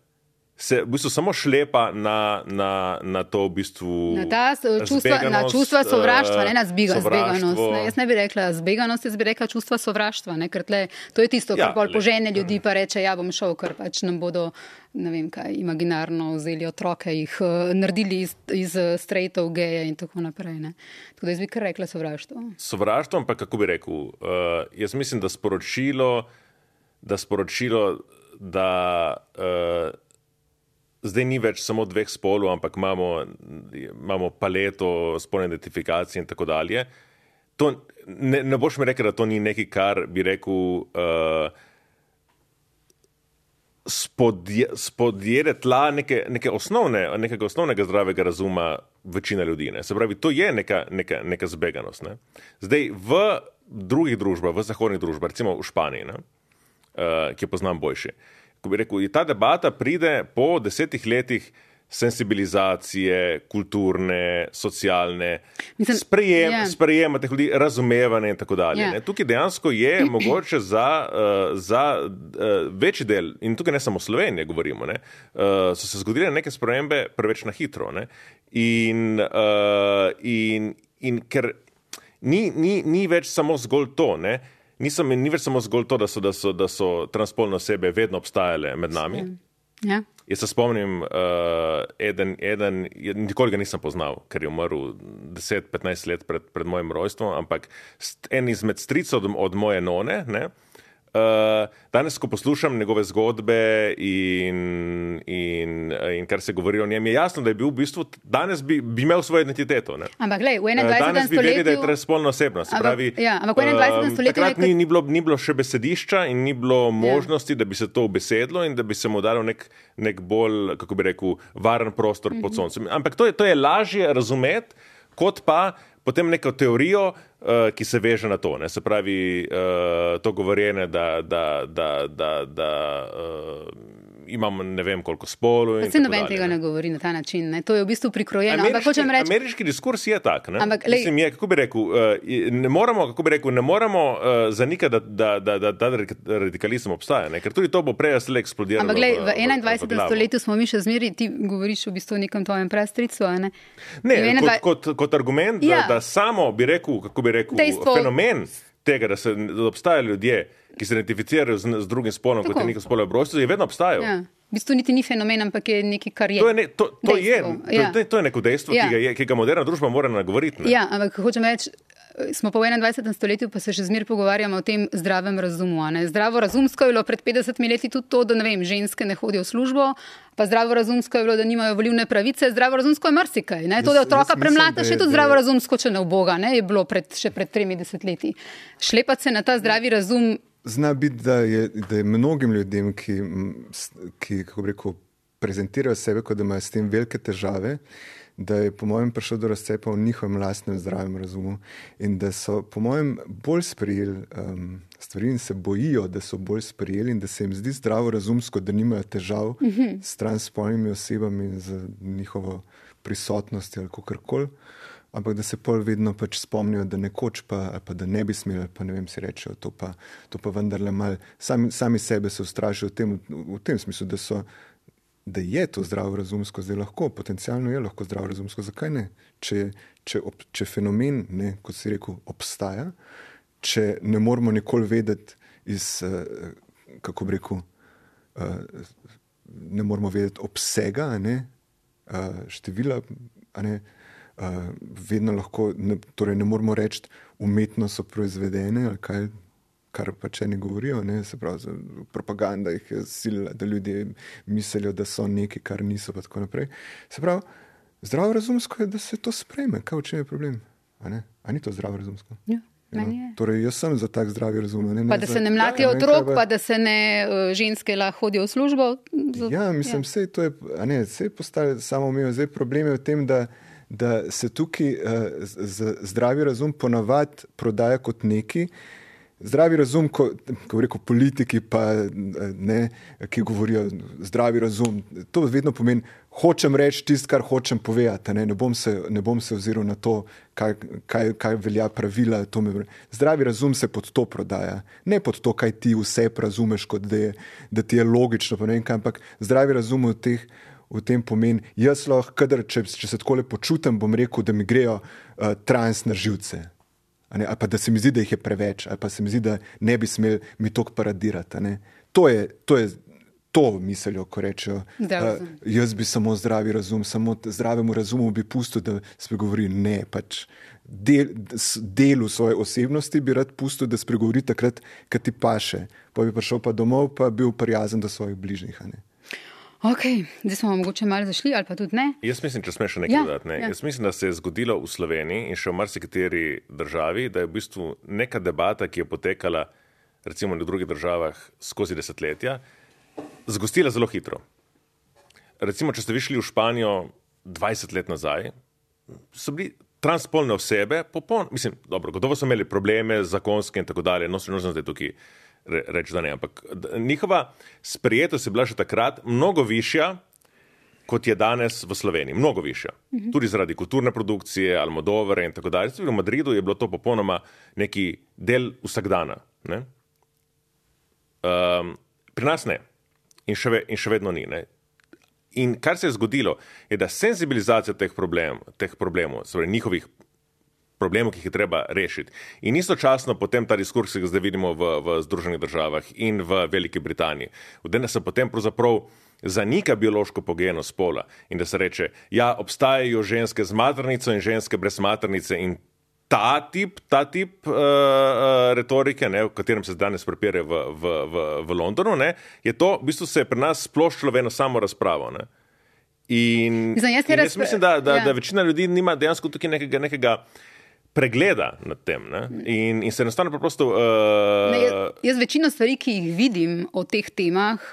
Speaker 3: Se v bistvu samo šlepa na, na, na to v bistvu
Speaker 2: na, ta, čustva, na čustva sovraštva, ne na zbiga, zbeganost. Ne, jaz ne bi rekla zbeganost, jaz bi rekla čustva sovraštva, ne, ker tle, to je tisto, kar ja, bolj požene ljudi pa reče, ja bom šel, ker pač nam bodo, ne vem kaj, imaginarno vzeli otroke, jih uh, naredili iz, iz straightov, geje in tako naprej. Ne. Tako da jaz bi kar rekla sovraštvo.
Speaker 3: Sovraštvo, ampak kako bi rekel, uh, jaz mislim, da sporočilo, da sporočilo, da uh, zdaj ni več samo dveh spolov, ampak imamo, imamo paleto spolne identifikacije in tako dalje. To, ne, ne boš mi rekel, da to ni nekaj, kar bi rekel uh, spodje, spodjede tla neke, neke osnovne, nekega osnovnega zdravega razuma večina ljudi. Ne. Se pravi, to je neka, neka, neka zbeganost. Ne. Zdaj, v drugih družbah, v zahodnih družbah, recimo v Španiji, ne, uh, ki jo poznam boljši, ko bi rekel, ta debata pride po desetih letih sensibilizacije, kulturne, socialne, Mislim, sprejem, yeah. sprejema teh ljudi, razumevanje in tako dalje. Yeah. Tukaj dejansko je mogoče za, uh, za uh, večji del, in tukaj ne samo Slovenije govorimo, ne, uh, so se zgodile neke spremembe preveč na hitro. Ne, in, uh, in, in ker ni, ni, ni več samo zgolj to, ne, Nisem, ni več samo zgolj to, da so, da so, da so transpolne osebe vedno obstajale med nami.
Speaker 2: Ja.
Speaker 3: Jaz se spomnim, uh, eden, eden, nikoli ga nisem poznal, ker je umrl deset petnajst let pred, pred mojim rojstvom, ampak en izmed stricev od, od moje none, ne, Uh, danes, ko poslušam njegove zgodbe in, in, in kar se govori o njem, je jasno, da je bil v bistvu, danes bi, bi imel svojo identiteto. Ne?
Speaker 2: Ampak glej, v enaindvajsetem
Speaker 3: danes bi
Speaker 2: stoletju...
Speaker 3: vedeli, da je transpolna osebnost.
Speaker 2: Ampak,
Speaker 3: pravi,
Speaker 2: ja, ampak v enaindvajsetem
Speaker 3: um,
Speaker 2: stoletju...
Speaker 3: Takrat
Speaker 2: nekaj...
Speaker 3: ni, ni, bilo, ni bilo še besedišča in ni bilo možnosti, ja. da bi se to ubesedlo in da bi se mu dalo nek, nek bolj, kako bi rekel, varen prostor mm-hmm. pod soncem. Ampak to je, to je lažje razumeti, kot pa potem neko teorijo, uh, ki se veže na to. Ne? Se pravi, uh, to govorjenje, da, da, da, da, da uh, imam ne vem koliko spolov.
Speaker 2: Se noben tega ne govori na ta način. Ne? To je v bistvu prikrojeno.
Speaker 3: Ameriški,
Speaker 2: ampak reči...
Speaker 3: ameriški diskurs je tak. Ne?
Speaker 2: Ampak,
Speaker 3: Mislim, je, kako bi rekel, uh, ne moramo, kako bi rekel, ne moramo uh, zanikati, da, da, da, da, da radikalizem obstaja. Ne? Ker tudi to bo prej slej eksplodiralo.
Speaker 2: Ampak glej, v, v enaindvajsetem stoletju smo mi še zmeri, ti govoriš v bistvu o nekem tvojem prastricu, a ne?
Speaker 3: Ne,
Speaker 2: enaindvajset...
Speaker 3: kot, kot, kot argument,
Speaker 2: ja.
Speaker 3: da, da samo bi rekel, kako bi rekel, Dejstvo... fenomen tega, da, se, da obstajajo ljudje, ki se identificirajo z, z drugim spolom, kot je njihov spolov obročstvo, je vedno obstajal.
Speaker 2: Ja. V bistvu niti ni fenomen, ampak je nekaj, kar je.
Speaker 3: To je, ne, to, to je,
Speaker 2: ja.
Speaker 3: to, to je neko dejstvo, ja. ki, ga je, ki ga moderna družba mora nagovoriti. Ne?
Speaker 2: Ja, ampak hočem reči, smo pa v enaindvajsetem stoletju, pa se še zmer pogovarjamo o tem zdravem razumu. Ne? Zdravo razumsko je bilo pred petdesetimi leti tudi to, da ne vem, ženske ne hodijo v službo, pa zdravo razumsko je bilo, da nimajo volilne pravice, zdravo razumsko je marsikaj. Ne? To, da otroka premlata, še tudi zdravo razumsko, če ne uboga, ne? Je bilo pred, še pred tremi desetletji. Šlepati se na ta zdravi razum.
Speaker 4: Zna biti, da je, da je mnogim ljudem, ki, ki kako bi rekel, prezentirajo sebe, kot da imajo s tem velike težave, da je po mojem prišel do razcepa v njihovem lastnem zdravem razumu in da so po mojem bolj sprejeli um, stvari in se bojijo, da so bolj sprejeli in da se jim zdi zdravo razumsko, da nimajo težav mm-hmm. s transspolnimi osebami in z njihovo prisotnostjo ali kakorkoli. Ampak da se pol vedno pač spomnijo, da nekoč pa, ali pa da ne bi smeli, pa ne vem, si rečejo, to pa, to pa vendarle mal, sami, sami sebe se ustrašijo v tem, v tem smislu, da so, da je to zdravo razumsko, zdaj lahko, potencialno je lahko zdravo razumsko, zakaj ne? Če, če, ob, če fenomen, ne, kot si rekel, obstaja, če ne moramo nikoli vedeti iz, kako bi rekel, ne moramo vedeti obsega, a ne, števila, a ne, vedno lahko, ne, torej ne moramo reči, umetno so proizvedene, ali kaj, kar pač eni govorijo, ne, se pravi, propaganda jih je silila, da ljudje mislijo, da so neki, kar niso, pa tako naprej. Se pravi, zdravo razumsko je, da se to sprejme, kaj v čem je problem, a ne, a ni to zdravo razumsko?
Speaker 2: Ja. No,
Speaker 4: torej, jaz sem za tak zdravi razum. Ne, ne,
Speaker 2: pa da
Speaker 4: za,
Speaker 2: se ne mlatijo
Speaker 4: ja,
Speaker 2: otrok,
Speaker 4: ne,
Speaker 2: pa da se ne uh, ženske lahko hodijo v službo. Z,
Speaker 4: ja, mislim, vse ja. to je, a ne, vse je postalo samo omejo. Zdaj problem je v tem, da, da se tukaj uh, z, z, zdravi razum ponavad prodaja kot neki. Zdravi razum, ko, ko rekel politiki, pa ne, ki govorijo zdravi razum, to vedno pomeni, hočem reči tisto, kar hočem povedati, ne, ne bom se, ne bom se oziral na to, kaj, kaj, kaj velja pravila. To me, zdravi razum se pod to prodaja, ne pod to, kaj ti vse razumeš, kot da, je, da ti je logično, pa ne vem kaj, ampak zdravi razum v, teh, v tem pomeni, jaz lahko, kadar, če, če se takole počutim, bom rekel, da mi grejo uh, trans na živce. Ne, ali pa da se mi zdi, da jih je preveč, ali pa se mi zdi, da ne bi smeli mi toliko paradirati. Ne. To je, to je to mislijo, ko rečejo, uh, jaz bi samo zdravi razum, samo zdravemu razumu bi pustil, da spregovori. Ne, pač del, delu svoje osebnosti bi rad pustil, da spregovori takrat, kad ti paše. Pa bi prišel pa domov, pa bil prijazen do svojih bližnjih. Ne.
Speaker 2: Ok, zdaj smo mogoče malo zašli, ali pa tudi ne.
Speaker 3: Jaz mislim, če smeš še nekaj
Speaker 2: ja,
Speaker 3: dodati. Ne?
Speaker 2: Ja.
Speaker 3: Jaz mislim, da se je zgodilo v Sloveniji in še v marsikateri državi, da je v bistvu neka debata, ki je potekala recimo v drugih državah skozi desetletja, zgostila zelo hitro. Recimo, če ste vi šli v Španijo dvajset let nazaj, so bili transpolne osebe, popoln, mislim, dobro, gotovo so imeli probleme zakonske in tako dalje, no se ne znam zdaj tukaj reči, da ne, ampak njihova sprejetost je bila še takrat mnogo višja, kot je danes v Sloveniji. Mnogo višja. Mm-hmm. Tudi zaradi kulturne produkcije, Almodovare in tako dalje. V Madridu je bilo to popolnoma neki del vsakdana. Ne? Um, pri nas ne. In še, ve, in še vedno ni. Ne? In kar se je zgodilo, je, da senzibilizacija teh, problem, teh problemov, torej njihovih problemov, ki jih je treba rešiti. In istočasno potem ta diskurs, ki ga zdaj vidimo v, v Združenih državah in v Veliki Britaniji, da se potem pravzaprav zanika biološko pogojenost spola in da se reče, ja, obstajajo ženske z maternico in ženske brez maternice in ta tip, ta tip uh, uh, retorike, ne, v katerem se danes prepire v, v, v, v Londonu, ne, je to, v bistvu se je pri nas sploščilo v eno samo razpravo. Ne. In,
Speaker 2: Zdaj, jaz,
Speaker 3: in jaz
Speaker 2: razpre...
Speaker 3: mislim, da, da,
Speaker 2: ja.
Speaker 3: da večina ljudi nima dejansko tukaj nekega, nekega pregleda nad tem. Ne? In, in se enostavno preprosto... Uh...
Speaker 2: Ne, jaz, jaz večino stvari, ki jih vidim o teh temah,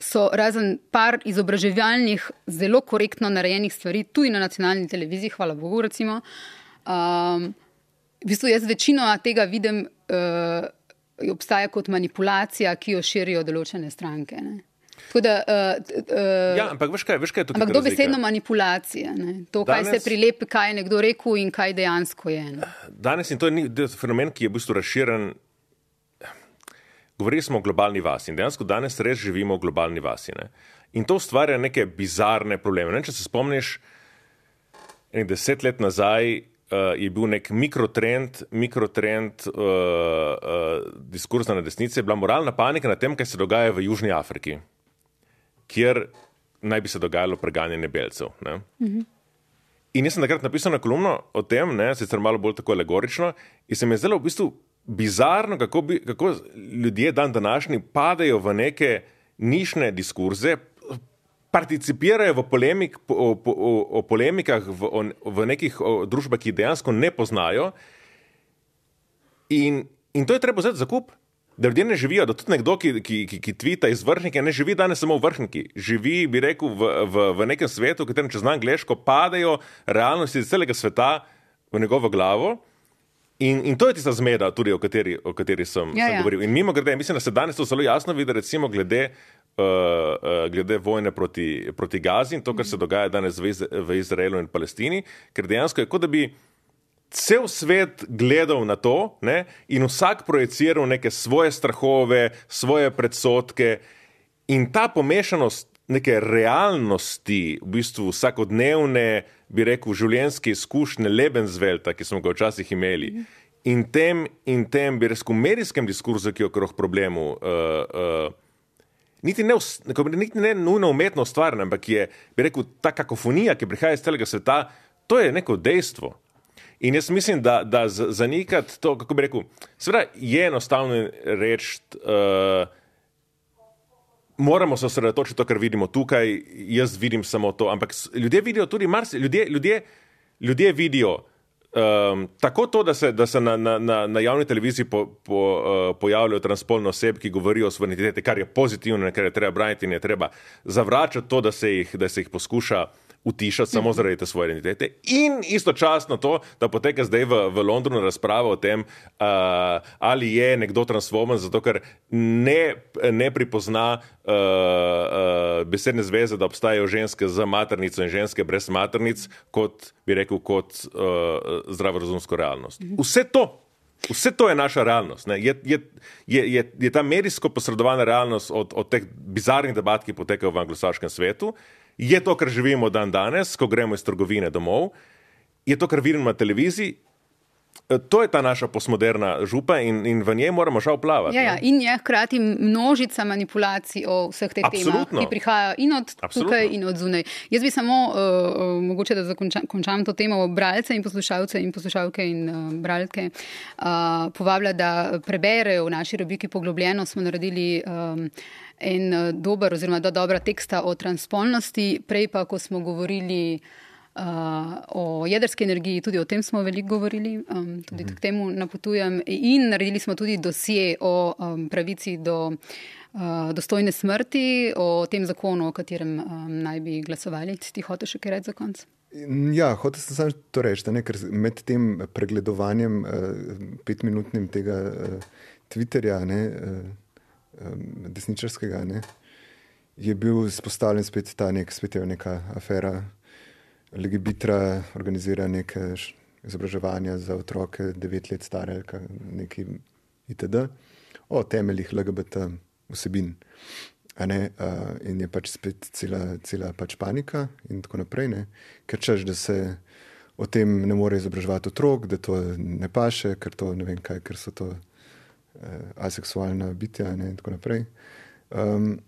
Speaker 2: so razen par izobraževalnih, zelo korektno narejenih stvari, tudi na nacionalni televiziji, hvala Bogu, recimo. Um, v bistvu jaz večino tega vidim, uh, obstaja kot manipulacija, ki jo širijo določene stranke. Ne? Tako da, uh, uh,
Speaker 3: ja, ampak veš kaj, veš kaj je tukaj
Speaker 2: ampak dobesedno manipulacija. Ne? To, danes, kaj se prilepi, kaj je nekdo rekel in kaj dejansko je. Ne?
Speaker 3: Danes, in to je fenomen, ki je v bistvu razširen, govorili smo o globalni vasi in dejansko danes res živimo v globalni vasi. Ne? In to ustvarja neke bizarne probleme. Ne? Če se spomniš, enih deset let nazaj uh, je bil nek mikrotrend, mikrotrend uh, uh, diskurzna na desnici, je bila moralna panika na tem, kaj se dogaja v Južni Afriki, kjer naj bi se dogajalo preganjanje belcev. Ne? Mm-hmm. In jaz sem takrat napisal na kolumno o tem, ne, sicer malo bolj tako alegorično, in se mi je zdelo v bistvu bizarno, kako, bi, kako ljudje dan današnji padajo v neke nišne diskurze, participirajo v, polemik, o, o, o polemikah v, o, v nekih o, družbah, ki dejansko ne poznajo. In, in to je treba vzeti za kup. Da ljudje ne živijo, da tudi nekdo, ki, ki, ki, ki tvita iz Vrhnike, ne živi danes samo v Vrhniki. Živi, bi rekel, v, v, v nekem svetu, v katerem, če znam angleško, padajo realnosti iz celega sveta v njegovo glavo. In, in to je tista zmeda, tudi o kateri, o kateri sem,
Speaker 2: ja,
Speaker 3: sem
Speaker 2: ja.
Speaker 3: govoril. In mimo grede, mislim, da se danes to zelo jasno vidi, recimo glede, uh, uh, glede vojne proti, proti Gazi in to, kar se dogaja danes v, Iz, v Izraelu in Palestini, ker dejansko je kot da bi cel svet gledal na to, ne, in vsak projiciral neke svoje strahove, svoje predsodke in ta pomešanost neke realnosti, v bistvu vsakodnevne, bi rekel, življenjske izkušnje Lebenswelta, ki smo ga včasih imeli, in tem, in tem bi rekel, medijskem diskurzu, ki je okrog problemu, uh, uh, niti, ne, niti ne nujno umetno ustvarjena, ampak je, bi rekel, ta kakofonija, ki prihaja iz celega sveta, to je neko dejstvo. In jaz mislim, da, da zanikati to, kako bi rekel, seveda je enostavno reči, uh, moramo se osredotočiti to, kar vidimo tukaj, jaz vidim samo to, ampak ljudje vidijo tudi marsikaj, ljudje, ljudje, ljudje vidijo um, tako to, da se, da se na, na, na javni televiziji po, po, uh, pojavljajo transspolne osebe, ki govorijo o suvereniteti, kar je pozitivno, kar je treba braniti in je treba zavračati to, da se jih, da se jih poskuša utišati samo zaradi te svoje identitete. In istočasno to, da poteka zdaj v, v Londonu razprava o tem, uh, ali je nekdo transformen, zato ker ne, ne pripozna uh, uh, besedne zveze, da obstajajo ženske z maternico in ženske brez maternic, kot bi rekel, kot uh, zdravorazumsko realnost. Vse to, vse to je naša realnost. Ne? Je, je, je, je, je ta medijsko posredovana realnost od, od teh bizarnih debat, ki potekajo v anglosaškem svetu, je to, kar živimo dan danes, ko gremo iz trgovine domov, je to, kar vidimo na televiziji, to je ta naša postmoderna župa in, in v njej moramo žal plavati.
Speaker 2: Ja, ja, in je hkrati množica manipulacij o vseh teh temah, ki prihajajo in od Absolutno. Tukaj in od zunaj. Jaz bi samo, uh, mogoče da zakončam končam to temo, bralce in poslušalce in poslušalke in uh, bralke uh, povabila, da preberejo v naši rubriki Poglobljeno. Smo naredili um, en dober oziroma da dobra teksta o transspolnosti, prej pa, ko smo govorili uh, o jedrski energiji, tudi o tem smo veliko govorili, um, tudi mm-hmm. k temu napotujem, in naredili smo tudi dosje o um, pravici do uh, dostojne smrti, o tem zakonu, o katerem um, naj bi glasovali. Ti hotel še kaj reči za konc?
Speaker 4: Ja, hotel sem samo to reči, ne, ker med tem pregledovanjem uh, petminutnim tega uh, Twitterja, ne, uh, desničarskega, ne, je bil spostavljen spet ta nek, spet je neka afera Legibitra, organizira neke izobraževanja za otroke devet let stare, neki itd. o temeljih L G B T vsebin. A ne, uh, in je pač spet cela, cela pač panika in tako naprej, ne, ker češ, da se o tem ne more izobraževati otrok, da to ne paše, ker to ne vem kaj, ker so to aseksualna bitja, ne, in tako naprej. Um,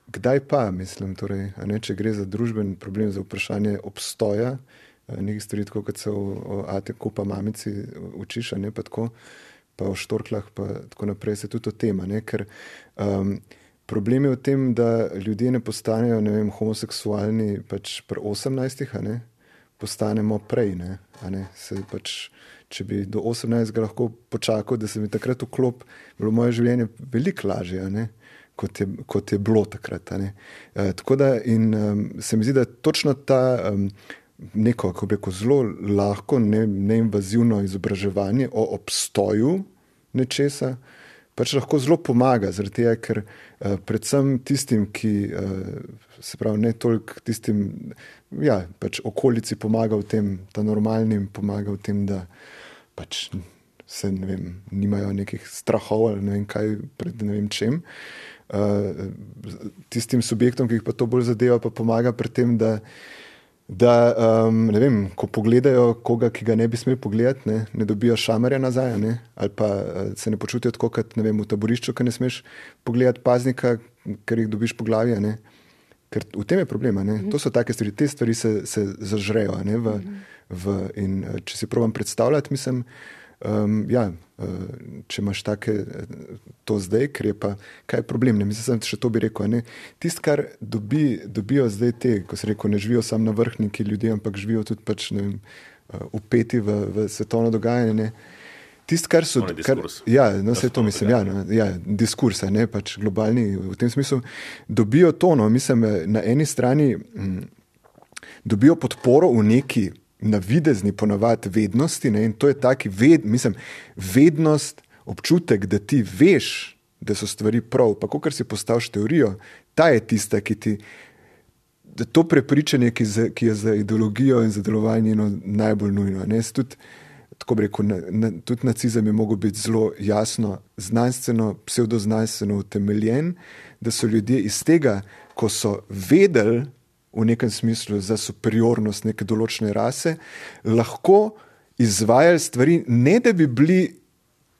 Speaker 4: kdaj pa, mislim, torej, a ne, če gre za družben problem, za vprašanje obstoja, nekaj stvari, tako kot se o, o Ateku pa mamici učiš, a ne, pa tako, pa o štorklah, pa tako naprej, se tudi o tema, ne, ker um, problem je v tem, da ljudje ne postanejo, ne vem, homoseksualni pač pri osemnajstih, a ne, postanemo prej, ne, a ne, se pač če bi do osemnajstega lahko počakal, da se mi takrat vklop, bilo moje življenje veliko lažje, ne, kot, je, kot je bilo takrat. Ne. E, tako da in um, se mi zdi, da točno ta um, neko, kako bi rekel, zelo lahko, ne, neinvazivno izobraževanje o obstoju nečesa, pač lahko zelo pomaga, zaradi tega, ker uh, predvsem tistim, ki uh, se pravi ne toliko tistim, ja, pač okolici pomaga v tem, ta normalnim pomaga v tem, da pač se, ne vem, nimajo nekih strahov ali ne vem kaj pred ne vem čem. Uh, tistim subjektom, ki jih pa to bolj zadeva, pa pomaga pri tem, da, da um, ne vem, ko pogledajo koga, ki ga ne bi smeli pogledati, ne, ne dobijo šamarja nazaj, ne, ali pa uh, se ne počutijo tako, kot ne vem, v taborišču, ker ne smeš pogledati paznika, ker jih dobiš po glavi, ne. Ker v tem je problema, ne. To so take stvari, te stvari se, se zažrejo, ne, v, v, in če si probam predstavljati, mislim, um, ja, če imaš take, to zdaj, ker je pa, kaj je problem, ne, mislim, še to bi rekel, ne, tist, kar dobi, dobijo zdaj te, ko se rekel, ne živijo samo na vrhniki ljudje, ampak živijo tudi pač, ne vem, upeti v, v svetovno dogajanje, ne, tist, kar so, kar, ja, no, vse to mislim, ja, no, ja, diskursa, ne, pač globalni, v tem smislu, dobijo to, no, mislim, na eni strani m, dobijo podporo v neki navidezni ponavadi vednosti, ne, in to je taki ved, mislim, vednost, občutek, da ti veš, da so stvari prav, pa kakor si postaviš teorijo, ta je tista, ki ti, da to prepričanje, ki, za, ki je za ideologijo in za delovanje no, najbolj nujno, ne, tudi tako bi rekel, na, na, tudi nacizem je mogel biti zelo jasno, znanstveno, pseudoznanstveno utemeljen, da so ljudje iz tega, ko so vedeli v nekem smislu za superiornost neke določene rase, lahko izvajali stvari, ne da bi bili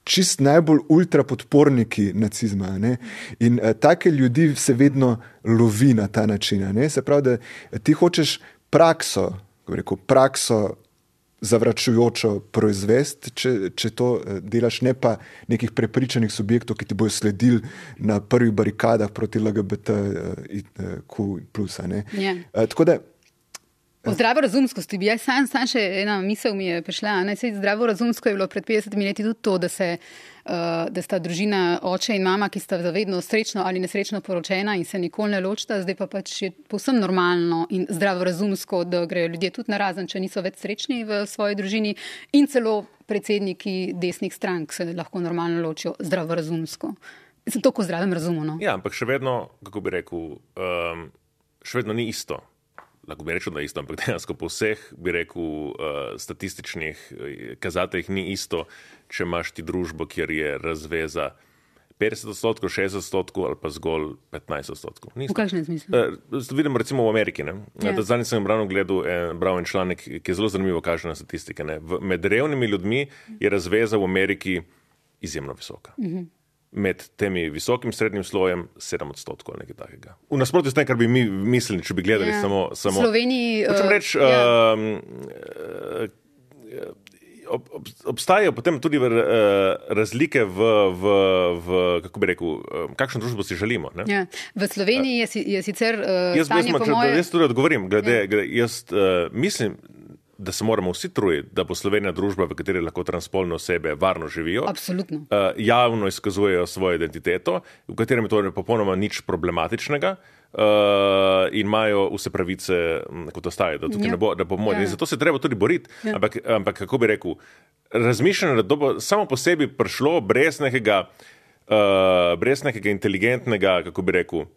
Speaker 4: čist najbolj ultrapodporniki nacizma. Ne? In uh, take ljudi se vedno lovi na ta način. Ne? Se pravi, da ti hočeš prakso, kako rekel, prakso zavračujočo proizvest, če, če to delaš, ne pa nekih prepričanih subjektov, ki ti bojo sledili na prvih barikadah proti L G B T Q plus.
Speaker 2: Yeah.
Speaker 4: Tako da
Speaker 2: O zdravorazumskosti bi jaz sam, sam še ena misel mi je prišla. Zdravorazumsko je bilo pred petdesetimi leti tudi to, da, se, uh, da sta družina oče in mama, ki sta zavedno srečno ali nesrečno poročena in se nikoli ne ločita, zdaj pa pač je povsem normalno in zdravorazumsko, da grejo ljudje tudi narazen, če niso več srečni v svoji družini in celo predsedniki desnih strank se lahko normalno ločijo zdravorazumsko. Sem toliko zdravem razumu. No?
Speaker 3: Ja, ampak še vedno, kako bi rekel, um, še vedno ni isto. Lahko bi rečel, da je isto, ampak dejansko po vseh, bi rekel, uh, statističnih kazateljih ni isto, če imaš ti družbo, kjer je razveza petdeset odstotkov, šestdeset odstotkov ali pa zgolj petnajst odstotkov.
Speaker 2: V kakšnem smislu?
Speaker 3: Uh, vidimo recimo v Ameriki.
Speaker 2: Ja.
Speaker 3: Zadnji sem ravno gledal en, bral en članek, ki je zelo zanimivo kaže na statistike. Ne? V, med revnimi ljudmi je razveza v Ameriki izjemno visoka. Mhm. Med temi visokim srednjim slojem sedem odstotkov ali nekaj takega. V nasprotju s tem, kar bi mi mislili, če bi gledali yeah. samo... samo
Speaker 2: Sloveniji...
Speaker 3: Hočem reči, uh, yeah. uh, ob, ob, obstajajo potem tudi uh, razlike v, v, v, kako bi rekel, uh, kakšno družbo si želimo. Ne?
Speaker 2: Yeah. V Sloveniji je, je sicer uh,
Speaker 3: jaz,
Speaker 2: stanje
Speaker 3: jaz,
Speaker 2: po moje...
Speaker 3: Jaz tudi odgovorim, glede,
Speaker 2: yeah.
Speaker 3: glede, jaz uh, mislim, da se moramo vsi truditi, da bo Slovenija družba, v kateri lahko transspolne osebe varno živijo.
Speaker 2: Absolutno.
Speaker 3: Uh, javno izkazujejo svojo identiteto, v katerem je to popolnoma nič problematičnega uh, in imajo vse pravice, kot ostaje, da tukaj ja. ne bo, da bo moč. Ja. Zato se treba tudi boriti. Ja. Ampak, ampak, kako bi rekel, razmišljanje, da to bo samo po sebi prišlo brez nekega, uh, brez nekega inteligentnega, kako bi rekel,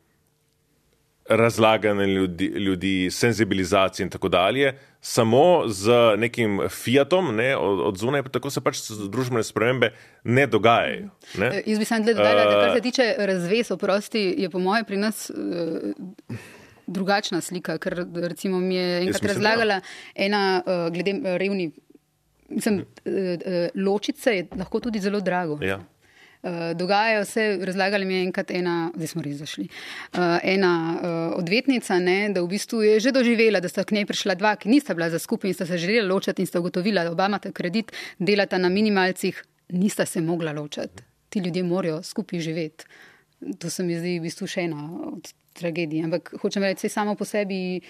Speaker 3: razlaganje ljudi, ljudi, senzibilizacije in tako dalje, samo z nekim fiatom, ne, od, od zunaj, tako se pač družbene spremembe ne dogajajo. Ne?
Speaker 2: Jaz bi sam tle dodala, da kar se tiče razvez, oprosti, je po moje pri nas uh, drugačna slika, ker recimo mi je enkrat mislim, razlagala ja. ena uh, glede revni, mislim, uh, uh, ločice je lahko tudi zelo drago.
Speaker 3: Ja.
Speaker 2: Uh, dogajajo se, razlagali mi je enkrat ena, zdaj smo res zašli, uh, ena uh, odvetnica, ne, da v bistvu je že doživela, da sta k njej prišla dva, ki nista bila za skupaj in sta se želela ločati in sta ugotovila, da oba imata kredit, delata na minimalcih, nista se mogla ločati. Ti ljudje morajo skupaj živeti. To se mi zdi v bistvu še ena od tragedij. Ampak hočem reči, samo po sebi,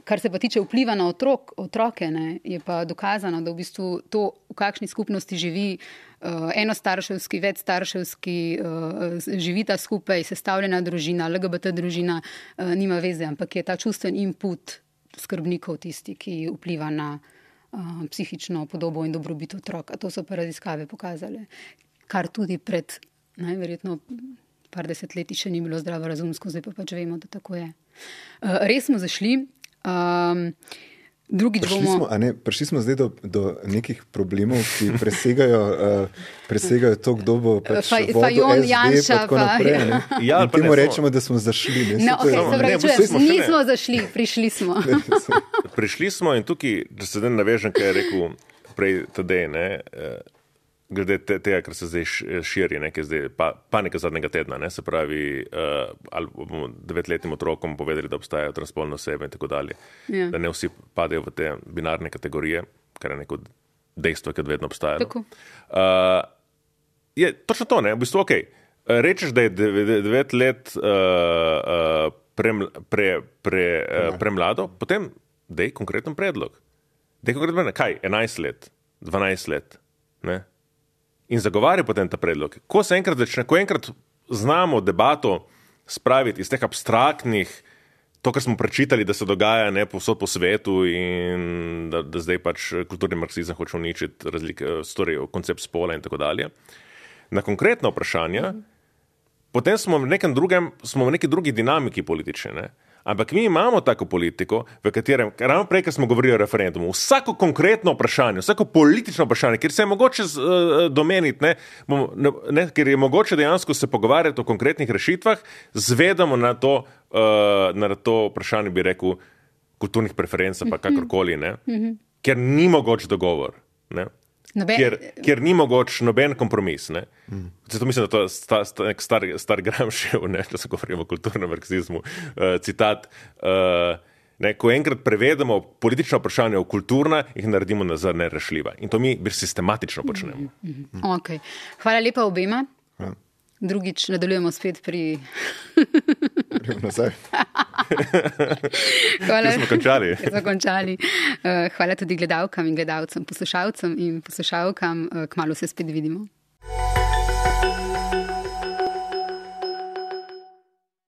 Speaker 2: kar se pa tiče vpliva na otrok, otroke, ne, je pa dokazano, da v bistvu to, v kakšni skupnosti živi enostarševski, večstarševski, živita skupaj, sestavljena družina, L G B T družina, nima veze, ampak je ta čustven input skrbnikov tisti, ki vpliva na psihično podobo in dobrobit otroka. To so pa raziskave pokazale. Kar tudi pred najverjetno par desetletij še ni bilo zdravorazumsko, zdaj pa pač vemo, da tako je. Uh, res smo zašli. Um, drugič
Speaker 4: prišli
Speaker 2: bomo...
Speaker 4: Smo, a ne, prišli smo zdaj do, do nekih problemov, ki presegajo, uh, presegajo to, kdo bo pač
Speaker 2: Faj,
Speaker 4: vodo
Speaker 2: Fajon,
Speaker 4: S D
Speaker 2: Janša,
Speaker 4: pa tako naprej. Ne?
Speaker 3: Ja,
Speaker 4: in temu rečemo, da smo zašli. Ne?
Speaker 2: No, okay,
Speaker 3: to,
Speaker 2: pravi,
Speaker 3: ne,
Speaker 2: čujem,
Speaker 3: smo
Speaker 2: nismo zašli, prišli smo.
Speaker 3: Prišli smo in tukaj, da se zdaj navežem, kaj je rekel prej Tadej, ne, glede te, tega, kar se zdaj širi, ne, zdaj, pa, panika zadnjega tedna, ne, se pravi, uh, ali bomo devetletnim otrokom povedali, da obstajajo transspolne osebe in tako dalje, ja. Da ne vsi padejo v te binarne kategorije, kar je neko dejstvo, ki je vedno obstajalo. Uh, je točno to, ne, v bistvu, ok, rečeš, da je devet let uh, uh, pre, pre, pre, uh, premlado, potem dej konkreten predlog. Dej konkreten predlog, kaj, enajst let, dvanajst let, ne? In zagovarja potem ta predlog. Ko se enkrat začne, ko enkrat znamo debato spraviti iz teh abstraktnih, to, kar smo prečitali, da se dogaja ne, povsod po svetu in da, da zdaj pač kulturni marksizem hoče uničiti razlike, story, koncept spola in tako dalje, na konkretna vprašanja, mm. potem smo v nekem drugem, smo v neki drugi dinamiki politične, ne. Ampak mi imamo tako politiko, v katerem, ravno prej, ko smo govorili o referendumu, vsako konkretno vprašanje, vsako politično vprašanje, kjer se je mogoče uh, domeniti, ne, ne, ker je mogoče dejansko se pogovarjati o konkretnih rešitvah, zvedamo na to, uh, na to vprašanje, bi rekel, kulturnih preferenc, pa kakorkoli, ne, ker ni mogoč dogovor. ne?
Speaker 2: Noben...
Speaker 3: Kjer, kjer ni mogoč noben kompromis. Ne? Mm. Zato mislim, da to je sta, sta, nek star, star Gramscijev, če se govorimo o kulturnem marksizmu, uh, citat, uh, ne, ko enkrat prevedemo politična vprašanja v kulturna, jih naredimo nazaj nerešljiva. In to mi sistematično počnemo.
Speaker 2: Mm, mm, mm. Okay. Hvala lepa obema.
Speaker 4: Ja.
Speaker 2: Drugič nadaljujemo spet pri...
Speaker 4: nazaj.
Speaker 2: Hvala.
Speaker 3: Smo končali.
Speaker 2: Smo končali. Hvala tudi gledalkam in gledalcem, poslušalcem in poslušalkam. Kmalu se spet vidimo.